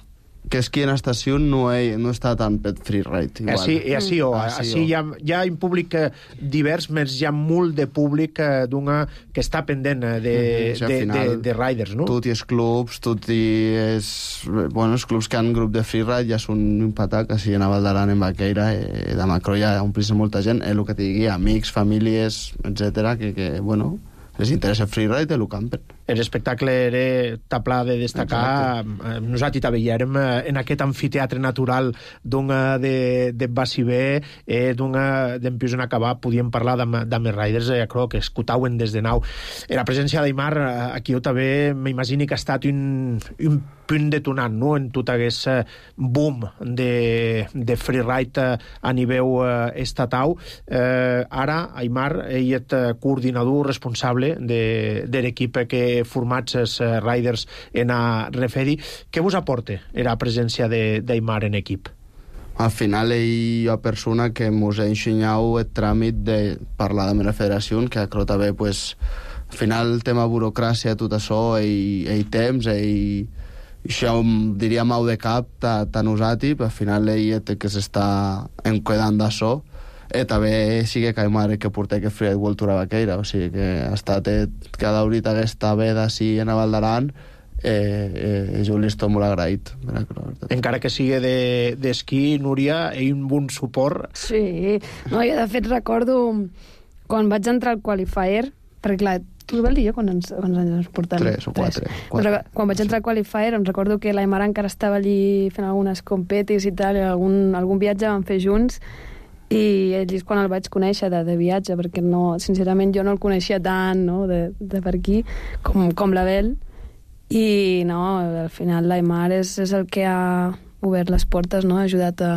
que esquia en estació no, he, no està tan per freeride. Igual. Així, i així, o, així, així hi, ha, hi ha un públic divers, més hi ha molt de públic d'una que està pendent de, mm-hmm. sí, de, final, de, de riders, no? Tot i els clubs, tot i els, bueno, els clubs que han grup de freeride ja són un patac, així en Aval d'Aran, en Vaqueira, eh, de Macro ja omplís molta gent, és el que t'hi digui, amics, famílies, etcètera, que, que, bueno, les interessa freeride i el campen. L'espectacle era tapla de destacar. Exacte. Nosaltres també hi érem en aquest amfiteatre natural d'una de, de Bassibé, eh, d'una d'empius en acabar, podíem parlar d'Ames Riders, eh, crec que escutauen des de nau. Eh, la presència d'Aimar, aquí jo també m'imagino que ha estat un, un punt detonant, no?, en tot aquest boom de, de freeride a nivell eh, estatal. Eh, ara, Aimar, ell és coordinador responsable de, de l'equip que formats els uh, riders en a Referi. Què vos aporta la presència d'Aimar en equip? Al final, ell és persona que mos ha ensenyat el tràmit de parlar amb la federació, que crec també, pues, al final, el tema burocràcia, tot això, ell, ell temps, ell... això diria mau de cap a nosaltres, al final ell té que s'està enquedant d'això. Eh, també sigue que Aimar que porta que Freeride World Tour a Vaqueira, o sigui que ha estat eh, cada horita aquesta veda així en Aval d'Aran, eh, eh, jo li estic molt agraït. Encara que sigui d'esquí, de, Núria, hi ha un bon suport. Sí, no, jo de fet recordo quan vaig entrar al qualifier, perquè clar, tu vas dir jo quan ens, quants anys ens portem? Tres o quatre. Tres. quatre. Doncs, quan vaig entrar al qualifier em recordo que l'Aimar encara estava allí fent algunes competis i tal, i algun, algun viatge vam fer junts, i ell és quan el vaig conèixer de, de viatge, perquè no, sincerament jo no el coneixia tant, no?, de, de per aquí, com, com l'Abel, i no, al final l'Aimar és, és el que ha obert les portes, no?, ha ajudat a,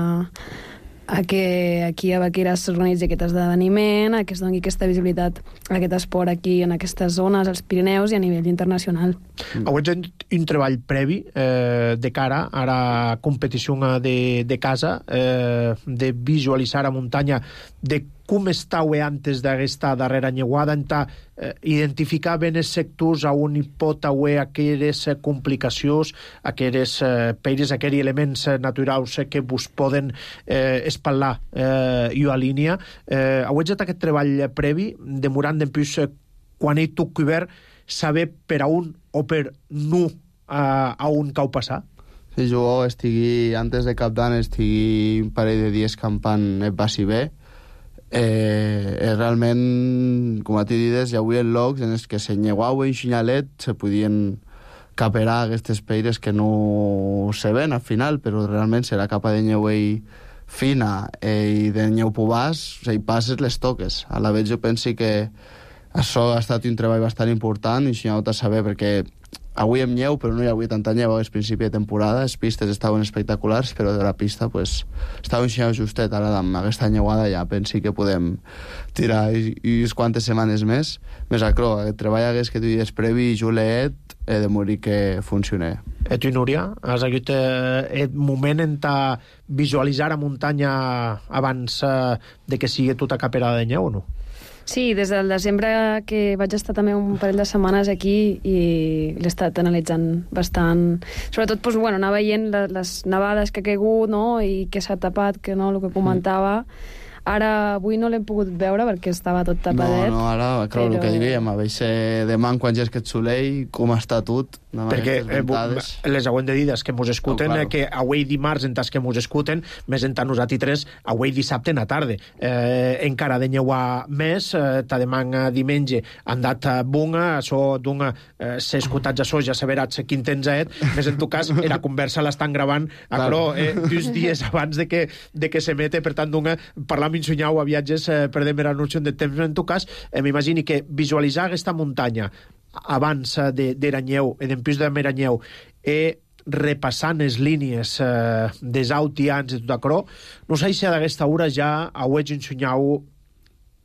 a que aquí a Baqueira s'organitzi aquest esdeveniment, a que es doni aquesta visibilitat a aquest esport aquí, en aquestes zones, als Pirineus i a nivell internacional. Mm. Heu fet un treball previ eh, de cara a la competició de, de casa, eh, de visualitzar a muntanya, de com estàu antes d'aquesta darrera anyeuada, entà eh, identificar ben els sectors on hi pot haver aquelles complicacions, aquelles eh, peires, aquells elements naturals que vos poden eh, espatlar eh, i a línia. Eh, heu fet aquest treball previ, demorant en plus eh, quan hi toc obert, saber per a un o per no a, a un cau passar? Si jo estigui, antes de cap d'any, estigui un parell de dies campant et passi bé, Eh, eh, realment, com a ti dides, hi havia llocs en els que s'enyeuau en xinyalet, se podien caperar aquestes peires que no se ven al final, però realment si la capa de nyeu fina eh, i de nyeu pubàs, o sigui, passes les toques. A la vegada jo penso que això ha estat un treball bastant important i s'hi ha de saber, perquè avui hem nyeu, però no hi havia tanta nyeu al principi de temporada, les pistes estaven espectaculars, però de la pista pues, estava un xinau justet. Ara amb aquesta nyeuada ja pensi que podem tirar i, i unes quantes setmanes més. Més acro, aquest treball hagués que tu dies previ i Juliet he de morir que funcione. E tu, Núria, has hagut eh, un moment en ta visualitzar a muntanya abans eh, de que sigui tota caperada de nyeu o no? Sí, des del desembre que vaig estar també un parell de setmanes aquí i l'he estat analitzant bastant. Sobretot, doncs, bueno, anar veient les, les nevades que ha caigut, no?, i que s'ha tapat, que no, el que comentava. Ara, avui no l'hem pogut veure perquè estava tot tapadet. No, no, ara, clar, però... el que diríem, a veure demà quan ja és aquest solell, com està tot. Perquè eh, les hauem de dir que mos escuten, oh, claro. que avui dimarts en tas que mos escuten, més en tant nosaltres tres, avui dissabte en la tarda. Eh, encara de nyeuar més, eh, ta demà diumenge han dat bunga, això d'una eh, s'ha escutat ja ja saberats quin temps et, més en tu cas, la conversa l'estan gravant a claro. Cro, eh, dos dies abans de que, de que se mete, per tant, d'una parlar amb insunyau a viatges, eh, perdem la noció de temps, en tu cas, eh, m'imagini que visualitzar aquesta muntanya abans de, de Ranyeu, en plus de Meranyeu, e repassant les línies eh, des autians i tot acro, no sé si d'aquesta hora ja heu ensenyau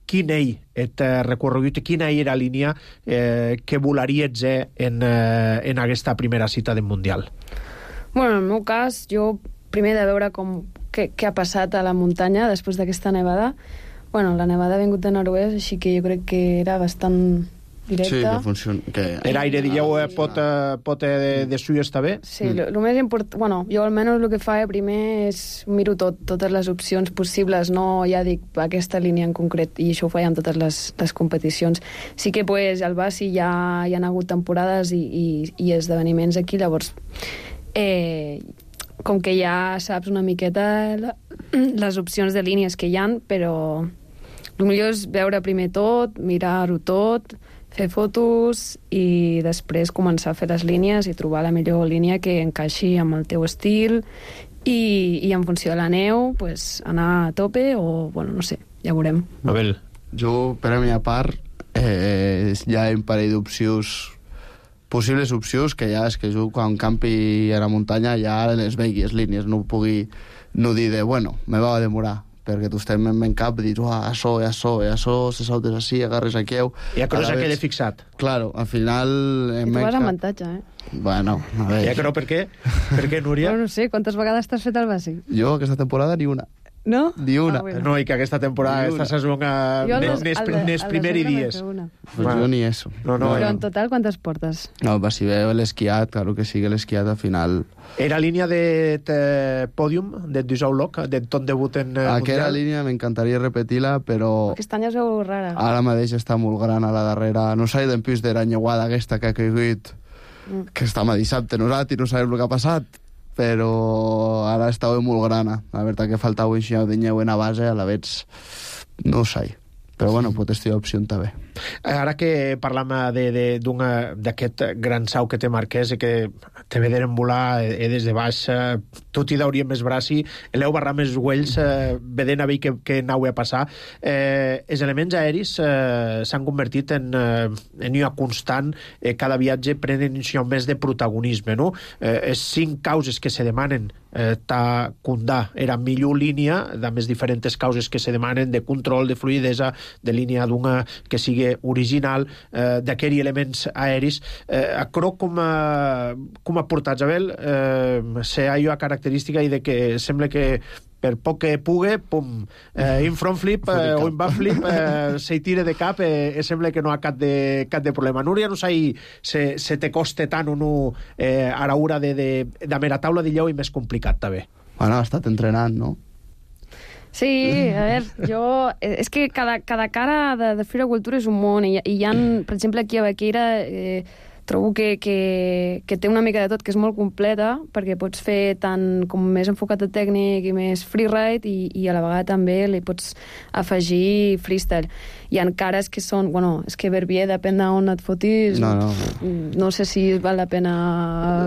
quin ell et eh, recorregut i quina era la línia eh, que volaries eh, en, eh, en aquesta primera cita del Mundial. Bueno, en el meu cas, jo primer de veure com, què, què ha passat a la muntanya després d'aquesta nevada. Bueno, la nevada ha vingut de nord-oest, així que jo crec que era bastant directe. Sí, que funciona. Que... L'aire, dieu, eh, pot, eh, pot eh, de, de suyo està bé? Sí, el mm. més important... Bueno, jo almenys el que fa primer és miro tot, totes les opcions possibles, no ja dic aquesta línia en concret, i això ho faig amb totes les, les competicions. Sí que pues, al Basi ja hi ha hagut temporades i, i, i esdeveniments aquí, llavors eh, com que ja saps una miqueta la, les opcions de línies que hi ha, però el millor és veure primer tot, mirar-ho tot, fer fotos i després començar a fer les línies i trobar la millor línia que encaixi amb el teu estil i, i en funció de la neu pues, anar a tope o, bueno, no sé, ja veurem. Abel. Jo, per a mi a part, eh, hi ha un parell d'opcions, possibles opcions, que ja és que jo quan campi a la muntanya ja les vegi, les línies, no pugui no dir de, bueno, me va a demorar, perquè tu estem en cap i dius, ah, això, això, això, se saltes així, agarres aquí... I a cosa que l'he fixat. Claro, al final... I tu vas avantatge, eh? Bueno, a veure... Ja que no, per què? Per què, Núria? No, no sé, quantes vegades t'has fet el bàsic? Jo, aquesta temporada, ni una. No? Ni una. Ah, bueno. No, i que aquesta temporada, aquesta sesonga, n'és primer i dies. Pues jo ni eso. No, no, Però no. en total, quantes portes? No, va, si veu l'esquiat, claro que sí que l'esquiat al final... Era línia de pòdium, de Dusauloc, de tot debut en eh, Aquella mundial? línia m'encantaria repetir-la, però... Aquest any es veu rara. Ara mateix està molt gran a la darrera. No sé d'en plus de la nyeuada aquesta que ha caigut, mm. que estem a dissabte nosaltres i no sabem el que ha passat, però ara estava molt grana. La veritat que faltava un xinau de nyeu en a base, a la vez no ho sé. però bueno, pot estar opció també. Ara que parlam d'aquest gran sau que té Marquès i que te vederen volar eh, des de baix, eh, tot i dauríem més braci, l'heu barrar més uells, eh, vedent a veure que, que anau a passar. Eh, els elements aeris eh, s'han convertit en, eh, en una constant, eh, cada viatge prenen més de protagonisme, no? Eh, les cinc causes que se demanen eh, ta condà era millor línia, de més diferents causes que se demanen de control, de fluidesa, de línia d'una que sigui original, eh, d'aquells elements aeris. Eh, acro com a, com a portat, Abel, eh, se ha una característica i de que sembla que per poc que pugui, pum, eh, in front flip eh, o in back flip eh, se tira de cap eh, i sembla que no ha cap de, cap de problema. Núria, no sé se, se te costa tant o no eh, a l'hora de, de, de mera taula de lleu i més complicat, també. Bueno, ha estat entrenant, no? Sí, a veure, jo... És que cada, cada cara de, de floricultura és un món, i, i hi ha, per exemple, aquí a Baqueira... Eh, trobo que, que, que té una mica de tot, que és molt completa, perquè pots fer tant com més enfocat a tècnic i més freeride, i, i a la vegada també li pots afegir freestyle. Hi ha cares que són... Bueno, és que Verbier, depèn d'on et fotis, no, no. no sé si val la pena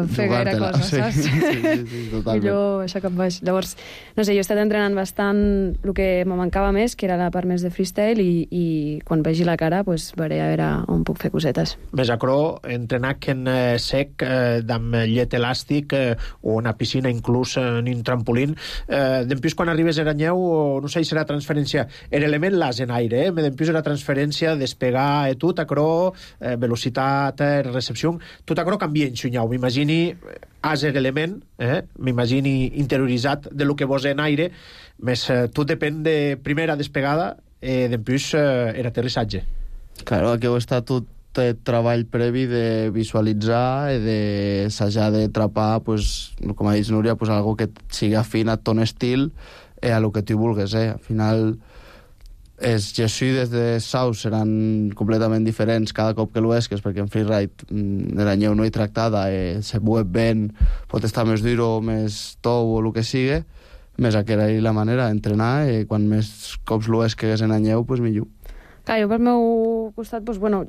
fer gaire cosa, sí, saps? Sí, sí, sí, totalment. Millor això cap baix. Llavors, no sé, jo he estat entrenant bastant el que me mancava més, que era la part més de freestyle, i, i quan vegi la cara, pues, veuré a veure on puc fer cosetes. Més acro, entrenar que en eh, sec, eh, amb llet elàstic, eh, o en a piscina, inclús en un trampolín. Eh, Dempús, quan arribes a Aranyeu, o no sé si serà transferència, en element l'as en aire, eh? Dempús era transferència, despegar, eh, tot acro, eh, velocitat, eh, recepció, tot acro canvia en xunyau. M'imagini as en element, eh? M'imagini interioritzat de lo que vos en aire, més eh, tot depèn de primera despegada, eh, Dempús eh, era aterrissatge. Claro, aquí heu estat tot de treball previ de visualitzar i d'assajar de trapar, pues, com ha dit Núria, pues, algo que sigui afín a ton estil i a lo que tu vulgues. Eh? Al final, els jesuïdes de Saus seran completament diferents cada cop que l'uesques, perquè en freeride de la nyeu no hi tractada, eh, se mueve ben, pot estar més dur o més tou o el que sigui, més aquella i la manera d'entrenar, i quan més cops l'uesques en la nyeu, pues, millor. Clar, jo pel meu costat, doncs, bueno,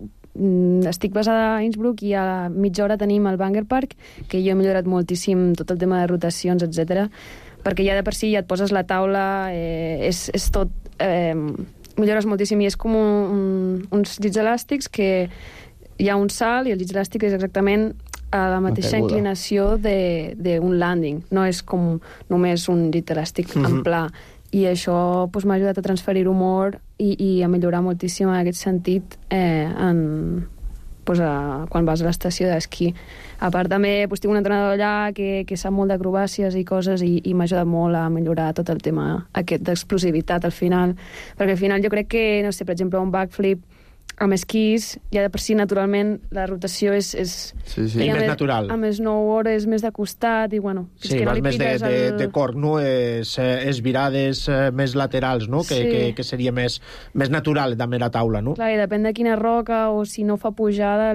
estic basada a Innsbruck i a mitja hora tenim el Banger Park, que jo he millorat moltíssim tot el tema de rotacions, etcètera, perquè ja de per si ja et poses la taula, eh, és, és tot... Eh, millores moltíssim, i és com un, uns llits elàstics que hi ha un salt i el llits elàstic és exactament a la mateixa inclinació d'un landing, no és com només un llit elàstic mm-hmm. en pla. I això pues, m'ha ajudat a transferir humor i, i a millorar moltíssim en aquest sentit eh, en, pues, a, quan vas a l'estació d'esquí. A part també pues, tinc un entrenador allà que, que sap molt d'acrobàcies i coses, i, i m'ha ajudat molt a millorar tot el tema aquest d'explosivitat al final, perquè al final jo crec que, no sé, per exemple, un backflip amb esquís, ja de per si naturalment la rotació és... és sí, sí. És més natural. A més snowboard és més de costat i, bueno... Sí, que vas no més de, de, el... de cor, no? És, és virades eh, més laterals, no? Que, sí. que, que seria més, més natural també la taula, no? Clar, i depèn de quina roca o si no fa pujada,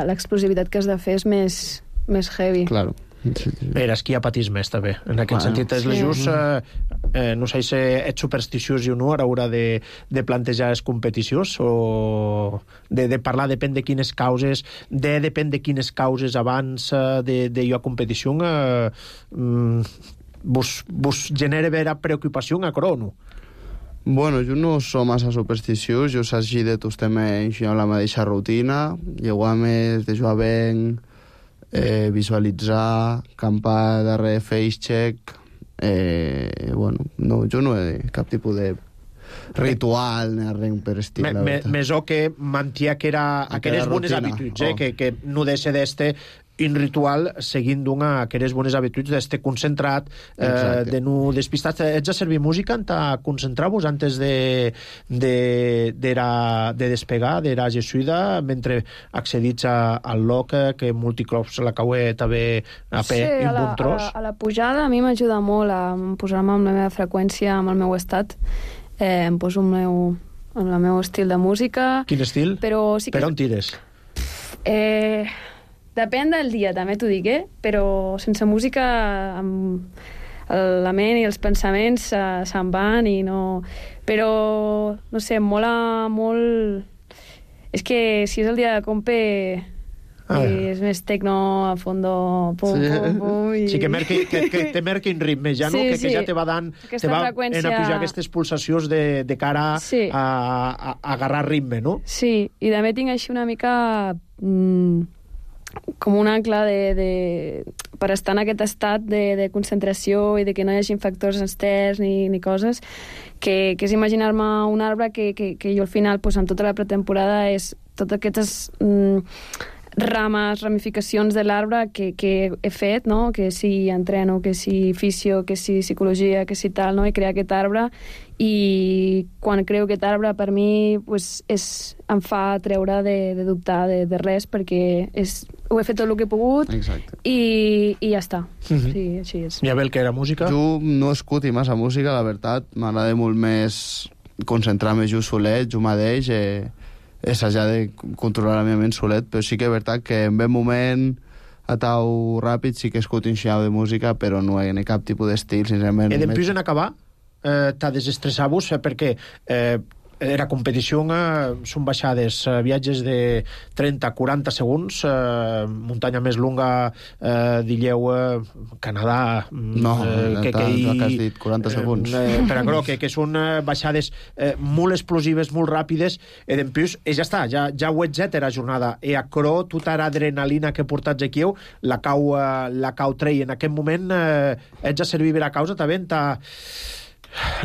l'explosivitat que has de fer és més, més heavy. Claro. Sí, sí. Era esquí a patís més, també. En aquest bueno, sentit, és sí. just, eh, eh, no sé si ets supersticiós o no a l'hora de, de plantejar les competicions, o de, de parlar depèn de quines causes, de depèn de quines causes abans de, de jo a competició, eh, vos, vos genera vera preocupació a crono? Bueno, jo no soc massa supersticiós, jo s'hagi de tots temes la mateixa rutina, llegar més de jugar ben... Eh, visualitzar, campar darrere face check, eh, bueno, no, jo no he cap tipus de ritual ni res per estil. Més o que mantia que era aquelles bones habituds, eh, oh. que, que no deixa d'este un ritual seguint d'una aquelles bones habituds d'este concentrat, eh, de no despistat. Ets a servir música a concentrar-vos antes de, de, de, la, de despegar de la jesuïda, mentre accedits a, al loc, que multiclops la caue també a pe sí, i un bon tros. A la, a la pujada a mi m'ajuda molt a posar-me amb la meva freqüència, amb el meu estat. Eh, em poso el meu, amb el meu estil de música. Quin estil? Però sí que... Per on tires? Eh... Depèn del dia, també t'ho dic, eh? Però sense música em... la ment i els pensaments uh, se'n van i no... Però, no sé, em mola molt... És que si és el dia de compe... Ah, i és més tecno a fondo, pum, sí. pum, pum... I... Sí, que, merqui, que, que te merqui en ritme, ja, no? Sí, que, que sí. ja te va dant... Aquesta te va freqüència... en a pujar aquestes pulsacions de, de cara sí. a, a, a agarrar ritme, no? Sí, i també tinc així una mica... Mmm, com un ancla de, de, per estar en aquest estat de, de concentració i de que no hi hagi factors externs ni, ni coses, que, que és imaginar-me un arbre que, que, que jo al final, pues, en tota la pretemporada, és totes aquestes... Mm, rames, ramificacions de l'arbre que, que he fet, no? Que si entreno, que si fisio, que si psicologia, que si tal, no? I crear aquest arbre, i quan creo aquest arbre per mi pues, és, em fa treure de, de dubtar de, de res, perquè és, ho he fet tot el que he pogut. Exacte. i, i ja està. Mm-hmm. Sí, així és. I a veure, què era música? Jo no escuti massa música, la veritat. M'agrada molt més concentrar-me jo solet, jo mateix, eh, assajar de controlar la meva ment solet, però sí que és veritat que en ben moment a tau ràpid sí que escuto un xiau de música, però no hi ha cap tipus d'estil, sincerament. E dempús en acabar, eh, t'ha desestressat-vos, eh, perquè eh, era competició, eh, són baixades, eh, viatges de trenta a quaranta segons, eh, muntanya més longa, eh, dilleu, eh, Canadà... No, eh, que, que, hi, que has dit quaranta segons. Eh, per a que, que són eh, baixades eh, molt explosives, molt ràpides, i dempús, i ja està, ja, ja ho ets era jornada, i a cro, tota l'adrenalina que portats aquí, la cau, eh, la cau trei, en aquest moment eh, ets a servir la causa, també t'ha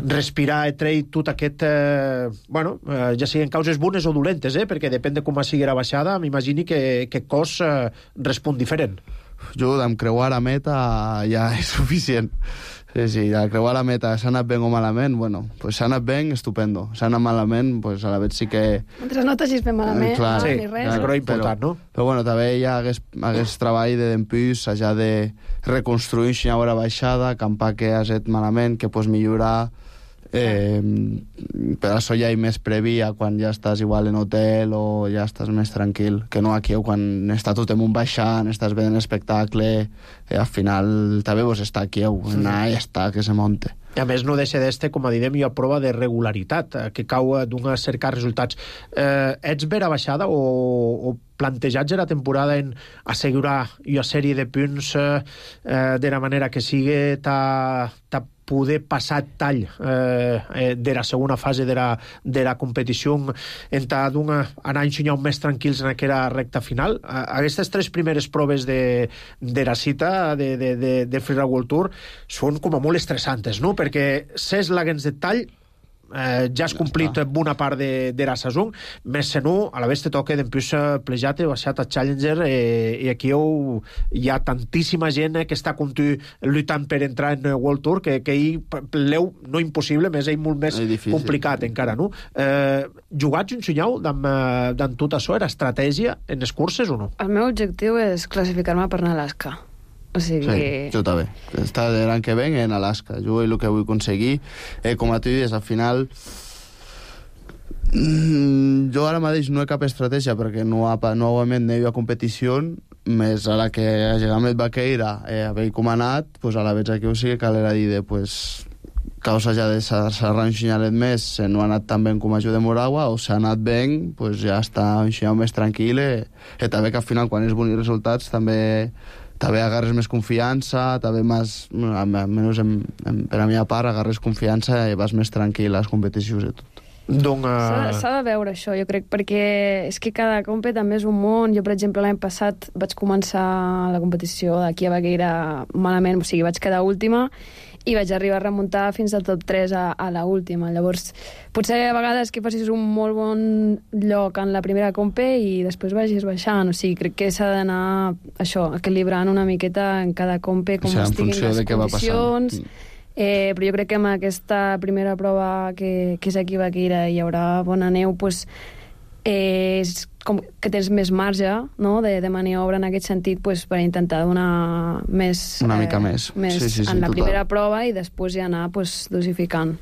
respirar i treure tot aquest... Eh, bueno, eh, ja siguin causes bones o dolentes, eh, perquè depèn de com sigui la baixada, m'imagini que aquest cos eh, respon diferent. Jo, d'em creuar la meta ja és suficient. Sí, sí, de creuar la meta, s'ha anat ben o malament, bueno, pues s'ha anat ben, estupendo. S'ha anat malament, pues a la vegada sí que... Mentre no t'hagis ben malament, eh, clar, no sí, ni res. Clar, però important, però, no? Però bueno, també hi ha hagués, hagués treball de dempús, ja de reconstruir una hora baixada, campar que has fet malament, que pots millorar... Eh, per això ja hi més previa quan ja estàs igual en hotel o ja estàs més tranquil, que no aquí quan està tot en un baixant, estàs veient l'espectacle, eh, al final també vos està aquí, anar i està que se monte. I a més no deixa d'este, com a direm, jo, prova de regularitat, eh, que cau d'un cercar resultats. Eh, ets vera baixada o, o plantejats a la temporada en assegurar una sèrie de punts eh, eh, de la manera que sigui ta, ta poder passar tall eh, eh, de la segona fase de la, de la competició en ta d'una anar ensenyant més tranquils en aquella recta final. Eh, aquestes tres primeres proves de, de la cita de, de, de, de Freeride World Tour són com a molt estressantes, no? Perquè ses laguens de tall eh, ja has complit bona part de, de la saison, més se no, a la vegada te toca d'empús plejat i baixat a Challenger eh, i aquí heu, hi ha tantíssima gent eh, que està com tu lluitant per entrar en World Tour que, que hi l'eu no impossible, més ell molt més complicat encara, no? Eh, jugats un xunyau d'en tot això, era estratègia en les curses o no? El meu objectiu és classificar-me per anar a Alaska. O sigui... Sí, jo també. Està l'any que ven en Alaska. Jo el que vull aconseguir, eh, com a tu dius, al final mm, jo ara mateix no he cap estratègia perquè no ha, novament no hi ha competició, més a la que ha llegat Baqueira eh, haver com ha anat, pues a la vegada que ho sigui calera dir de pues causa ja de s'arran un xinyalet més, se no ha anat tan ben com a jo de Moragua, o s'ha anat ben, pues ja està un xinyau més tranquil, eh, i també que al final quan és bons resultats també també agarres més confiança, també més, almenys en, en, per a mi a part, agarres confiança i vas més tranquil a les competicions i tot. Donc, uh... S'ha de veure això, jo crec, perquè és que cada compe també és un món. Jo, per exemple, l'any passat vaig començar la competició d'aquí a Baqueira malament, o sigui, vaig quedar última i vaig arribar a remuntar fins al top tres a, a la última. Llavors, potser a vegades que facis un molt bon lloc en la primera compe i després vagis baixant. O sigui, crec que s'ha d'anar, això, equilibrant una miqueta en cada compe, com o sigui, estiguin les condicions. Eh, però jo crec que amb aquesta primera prova que, que és aquí a Baqueira i hi haurà bona neu, pues, eh, és com que tens més marge, no?, de, de maniobra en aquest sentit, pues, per intentar donar més... Una mica més. més sí, sí, sí, en la total. primera prova i després ja anar pues, dosificant.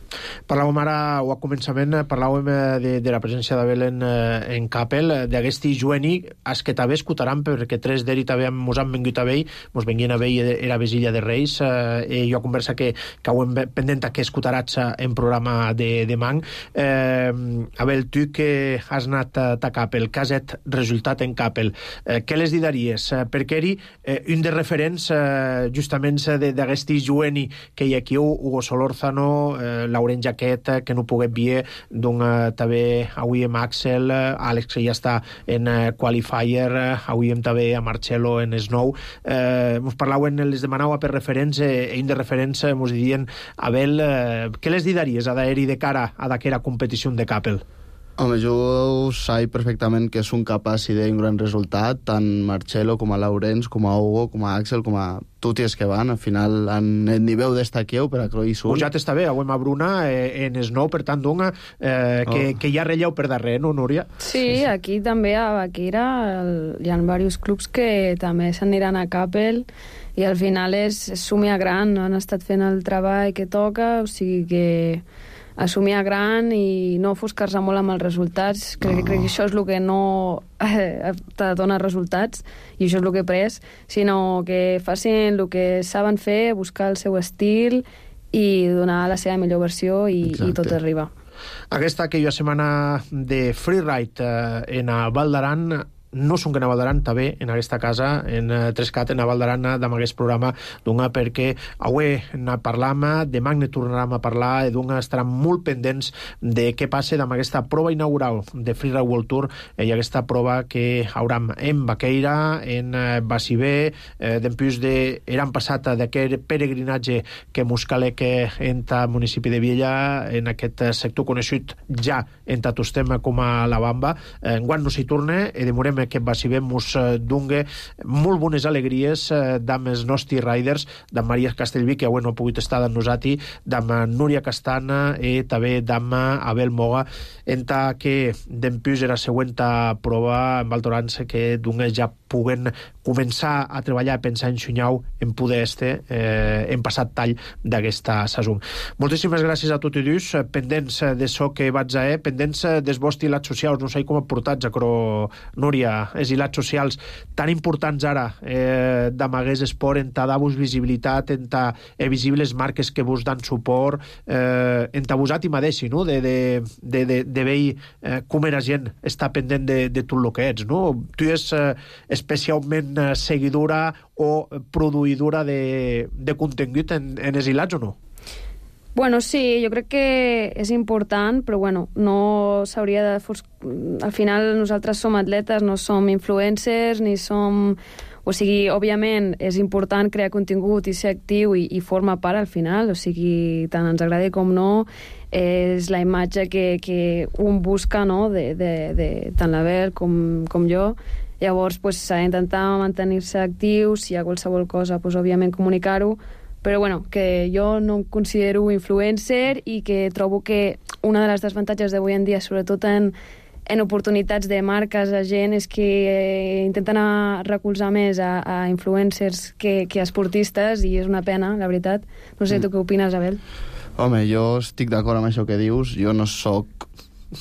Parlàvem ara, o a començament, parlàvem de, de la presència d'Abel en, en Capel, d'aquesti jueni, es que també escutaran, perquè tres d'eri també mos han vengut a vell, mos venguien a vell era Vesilla de Reis, eh, i jo conversa que, que ho hem pendent que escutarats en programa de, de Mang. Eh, Abel, tu que has anat a, a Capel, que has et resultat en Capel, eh, què les diries? Eh, perquè eri eh, un de referents eh, justament d'aquest jueni que hi ha aquí, Hugo Solórzano, eh, Laurent Jaquet, que no poguet vier, doncs eh, també avui amb Axel, eh, Àlex que ja està en eh, Qualifier, eh, avui hem també a Marcelo en Snow. Eh, mos parlaven, les demanava per referents, eh, i un de referents eh, mos dirien, Abel, eh, què les diries a d'eri de cara a d'aquera competició de Capel? Home, jo sé perfectament que és un capaç d'un gran resultat, tant Marcelo com a Laurens, com a Hugo, com a Axel, com a tots els que van. Al final, en el nivell destaqueu per a que hi són. Pujat està bé, avui a Bruna eh, en Snow, per tant, doncs, eh, que, oh. que hi ha relleu per darrere, no, Núria? Sí, aquí també a Baquira el, hi ha diversos clubs que també s'aniran a Capel i al final és, és somiar gran, no? Han estat fent el treball que toca, o sigui que assumir a gran i no ofuscar-se molt amb els resultats. Crec, no. crec que això és el que no eh, te dona resultats i això és el que he pres, sinó que facin el que saben fer, buscar el seu estil i donar la seva millor versió i, i tot arriba. Aquesta que jo setmana de freeride eh, en a Val d'Aran, no són que a Val d'Aran, també en aquesta casa, en uh, Trescat, en a Val d'Aran, amb aquest programa, doncs, perquè avui ne parlam, demà ne tornarem a parlar, i doncs estaran molt pendents de què passa amb aquesta prova inaugural de Freeride World Tour, eh, i aquesta prova que hauram en Baqueira, en uh, Bassibé, eh, d'empús de... Eran passat d'aquest peregrinatge que mos cale que entra al municipi de Viella, en aquest sector conegut ja en Tatostem com a la Bamba. Eh, enguany no s'hi torna, i demorem que va si bé mos eh, dungue molt bones alegries eh, d'amb els nostres riders, d'amb Maria Castellví, que avui no ha pogut estar amb nosaltres, d'amb Núria Castana i també d'amb Abel Moga, enta que d'empús era següent prova en Valtorança que dungue ja puguen començar a treballar, a pensar en Xunyau, en poder este, eh, en passat tall d'aquesta saison. Moltíssimes gràcies a tots i dos, pendents de so que vaig a eh, pendents dels vostres hilats socials, no sé com aportats, però Núria, els hilats socials tan importants ara eh, d'Amagués Esport, en ta dar-vos visibilitat, en ta eh, visibles marques que vos dan suport, eh, en ta vosat i madeixi, no? de, de, de, de, de veure eh, com era gent està pendent de, de tot el que ets, no? Tu és eh, especialment eh, seguidora o produïdora de, de contingut en, en els hilats o no? Bueno, sí, jo crec que és important, però bueno, no s'hauria de... Al final nosaltres som atletes, no som influencers, ni som... O sigui, òbviament, és important crear contingut i ser actiu i, i forma part al final, o sigui, tant ens agradi com no, és la imatge que, que un busca, no?, de, de, de tant l'Abel com, com jo. Llavors, pues, s'ha d'intentar mantenir-se actius, si hi ha qualsevol cosa, pues, òbviament comunicar-ho, però bueno, que jo no em considero influencer i que trobo que una de les desavantatges d'avui en dia, sobretot en, en oportunitats de marques a gent, és que eh, intenten recolzar més a, a influencers que, que a esportistes, i és una pena, la veritat. No sé, tu què opines, Abel? Home, jo estic d'acord amb això que dius. Jo no sóc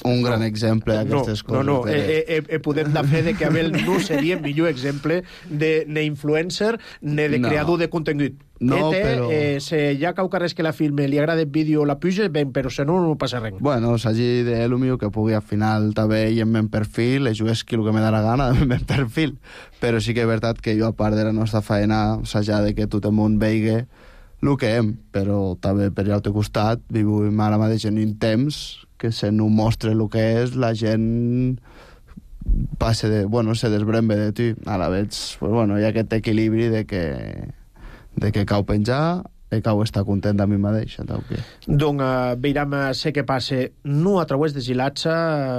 un gran exemple d'aquestes no, coses. No, no, de... eh, eh, eh, podem dar fe de que Abel no seria el millor exemple de ne influencer ne de no. creador de contingut. No, Ete, però... Eh, si hi ha qualcarres que la filme li agrada el vídeo la puja, ben, però si no, no passa res. Bueno, s'hagi de lo millor que pugui al final també i en meu perfil, i jugués qui el que me da la gana en meu perfil. Però sí que és veritat que jo, a part de la nostra feina, s'haja de que tot el món veigui el que hem, però també per l'altre costat vivim ara mateix en un temps que se no mostra el que és, la gent passa de, bueno, se desbrembe de tu. Ara veig, pues bueno, hi ha aquest equilibri de que, de que cau penjar e cau estar content de mi mateix. Que... Donc, uh, veiram uh, sé què passe no a través de Gilatsa,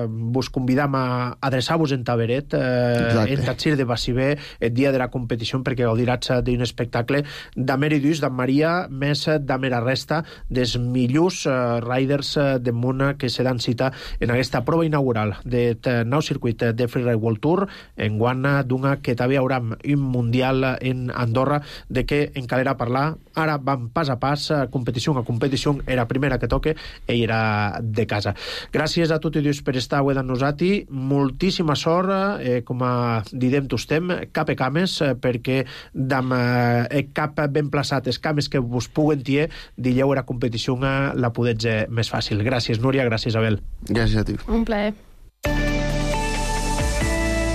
uh, vos convidam a adreçar-vos en Taberet, uh, en Tatsir de Bassibé, el dia de la competició, perquè gaudiràs d'un espectacle d'Amèridus, d'en Maria, més d'Amera resta dels millors uh, riders uh, de món que se dan cita en aquesta prova inaugural del nou circuit de Freeride World Tour, en guana d'una que també haurà un mundial en Andorra, de què en calera parlar. Ara vam pas a pas, competició a competició, era primera que toque i era de casa. Gràcies a tots i dos per estar avui amb nosaltres, moltíssima sort, eh, com a didem tostem, cap e cames, eh, perquè d'am eh, cap ben plaçat, els cames que vos puguen tier, dilleu era competició la podets eh, més fàcil. Gràcies, Núria, gràcies, Abel. Gràcies a tu. Un plaer.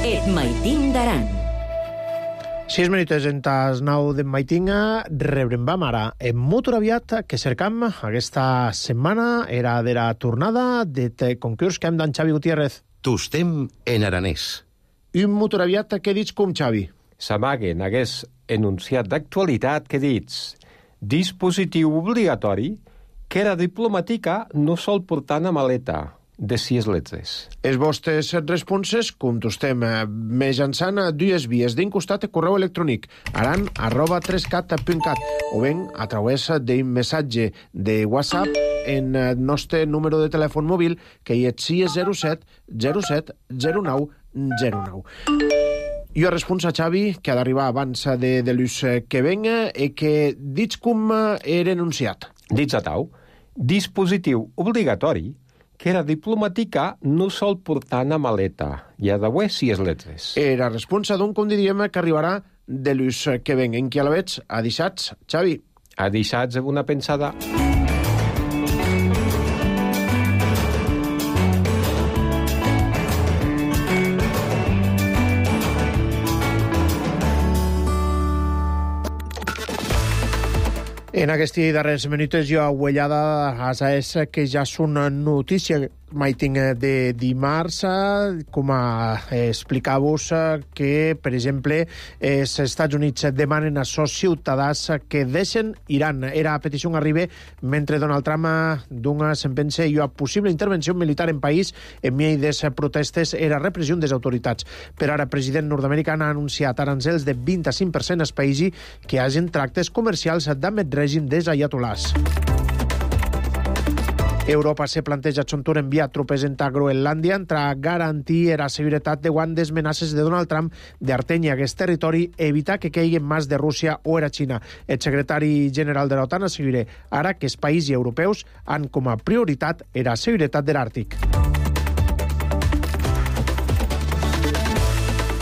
Et maitin d'aran. Sis minuts en tas nou de Maitinga, rebrem vam ara en molt aviat que cercam aquesta setmana era de la tornada de concurs que hem d'en Xavi Gutiérrez. Tostem en aranès. Un molt aviat que dits com Xavi? S'amaguen hagués enunciat d'actualitat que dits dispositiu obligatori que era diplomàtica no sol portar una maleta de sis letres. Els vostres responses contestem mitjançant dues vies. D'un costat, correu electrònic aran arroba trescat punt cat o ben a través d'un missatge de WhatsApp en el nostre número de telèfon mòbil que hi és sis zero set zero set zero nou zero nou. Jo responc a Xavi, que ha d'arribar abans de, de l'ús que venga i que dits com era enunciat. Dits a tau, dispositiu obligatori que era diplomàtica no sol portar una maleta. Hi ha d'haver sis letres. Era responsa d'un, com diríem, que arribarà de l'ús que ven. En qui a la veig? A dissats, Xavi. A dissats, una pensada. En aquests darrers minuts jo aguellada a és que ja és una notícia Maiting de dimarts, com a explicar-vos que, per exemple, els Estats Units demanen a sos ciutadans que deixen Iran. Era petició que arriba mentre Donald Trump d'una sentència i una possible intervenció militar en país en medio de protestes era repressió des autoritats. Per ara, el president nord-americà ha anunciat arancels de vint-i-cinc per cent als països que hagin tractes comercials amb el règim dels ayatolás. Europa se planteja Chontur enviar tropes en Groenlàndia entre garantir la seguretat davant des amenaces de Donald Trump d'artenya aquest territori i evitar que caiguen més de Rússia o era Xina. El secretari general de l'OTAN assegura ara que els països europeus han com a prioritat la seguretat de l'Àrtic.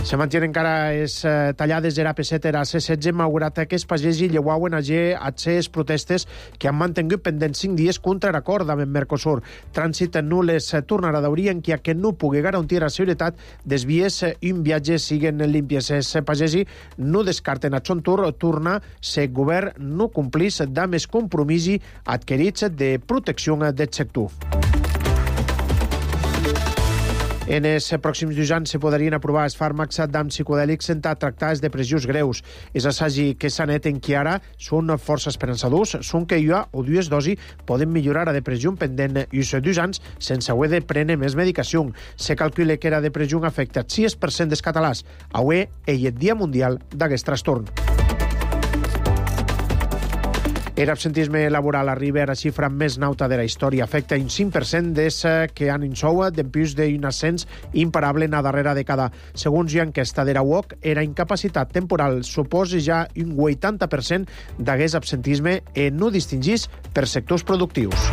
Se mantenen encara les eh, tallades de l'A P set a C setze, malgrat que els pagesos llevauen a les protestes que han mantingut pendents cinc dies contra l'acord amb el Mercosur. Trànsit no les tornarà d'obrir en que no pugui garantir la seguretat des vies i un viatge siguen límpies. Els pagesos no descarten a Chontur tornar si el govern no complís amb els compromisos adquirits de protecció del sector. En els pròxims dos anys se podrien aprovar els fàrmacs d'am psicodèlics en tractar les depressions greus. Els assajos que s'han fet en qui ara són força esperançadors, són que una o dues dosis poden millorar la depressió pendent i els dos anys sense haver de prendre més medicació. Se calcula que la depressió afecta el sis per cent dels catalans. Avui és el Dia Mundial d'aquest trastorn. L'absentisme laboral arriba a la xifra més nauta de la història. Afecta un cinc per cent des que han insou d'empús d'un ascens imparable en la darrera dècada. Segons l'enquesta de la U O C, era incapacitat temporal suposa ja un vuitanta per cent d'aquest absentisme i no distingís per sectors productius.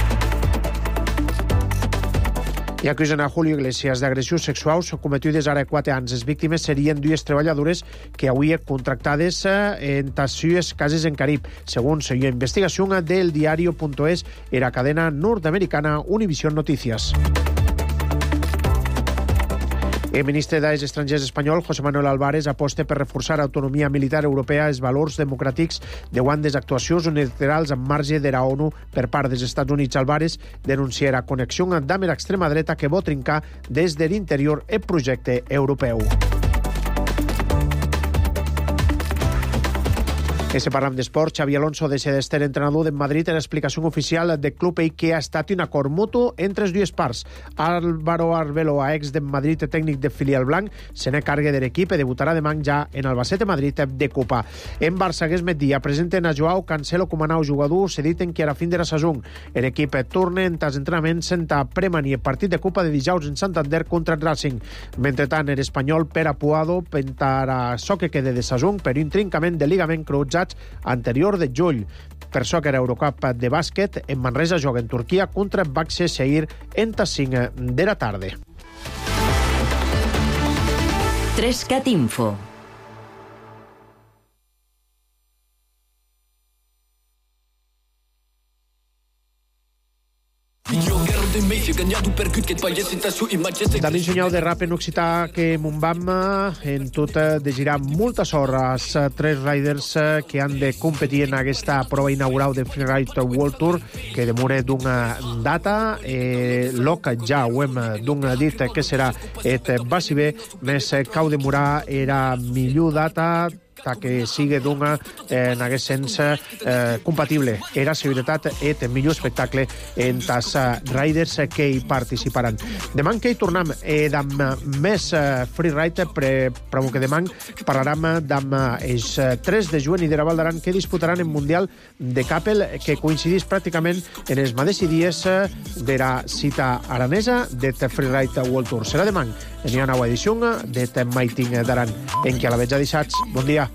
I acusen a Julio Iglesias d'agressions sexuals cometides ara quatre anys. Les víctimes serien dues treballadores que avui contractades en les seues cases en Carib. Segons la investigació del diario punto es, era cadena nord-americana Univision Noticias. El ministre dels Estrangers espanyol, José Manuel Álvarez, aposta per reforçar l'autonomia militar europea, els valors democràtics davant des actuacions unilaterals en marge de la ONU per part dels Estats Units. Álvarez denuncia la connexió amb l'extrema dreta que vol trincar des de l'interior el projecte europeu. E se parlam d'esport, Xavi Alonso de ser d'ester entrenador de Madrid en l'explicació oficial del club i que ha estat un acord mutu entre les dues parts. Álvaro Arbeloa, ex de Madrid tècnic de filial blanc, se n'è cargue de l'equip i debutarà demà ja en Albacete Madrid de Copa. En Barça aquest migdia presenten a Joao Cancelo com a nou jugador cedit en qui ara fin de la saison. L'equip torna en els entrenaments senta premanir el partit de Copa de dijous en Santander contra el Racing. Mentretant, l'espanyol Pere Puado pentarà so que quede de saison per un trincament de ligament cruzats anterior de juny. Per això que era Eurocup de bàsquet, en Manresa juga en Turquia contra Başakşehir en les cinc de la tarda. tres cat Info. David Sunyau de rap en occità que Montbam en tot desirà moltes hores tres riders que han de competir en aquesta prova inaugural de Freeride World Tour que demora d'una data eh, l'O C ja ho hem d'un dit que serà et basi bé més cau demorar era millor data que sigui d'una, eh, en aquest sens, eh, compatible. Era seguretat et millor espectacle en els riders que hi participaran. Demà que hi tornem eh, amb més eh, freeride, però que demà parlarem amb els tres de juny i de la Val d'Aran que disputaran el Mundial de Capel, que coincidís pràcticament en els mateixos dies de la cita aranesa de Freeride World Tour. Serà demà en una nova edició de Maiting d'Aran, en què a la vetja dissats. Bon dia.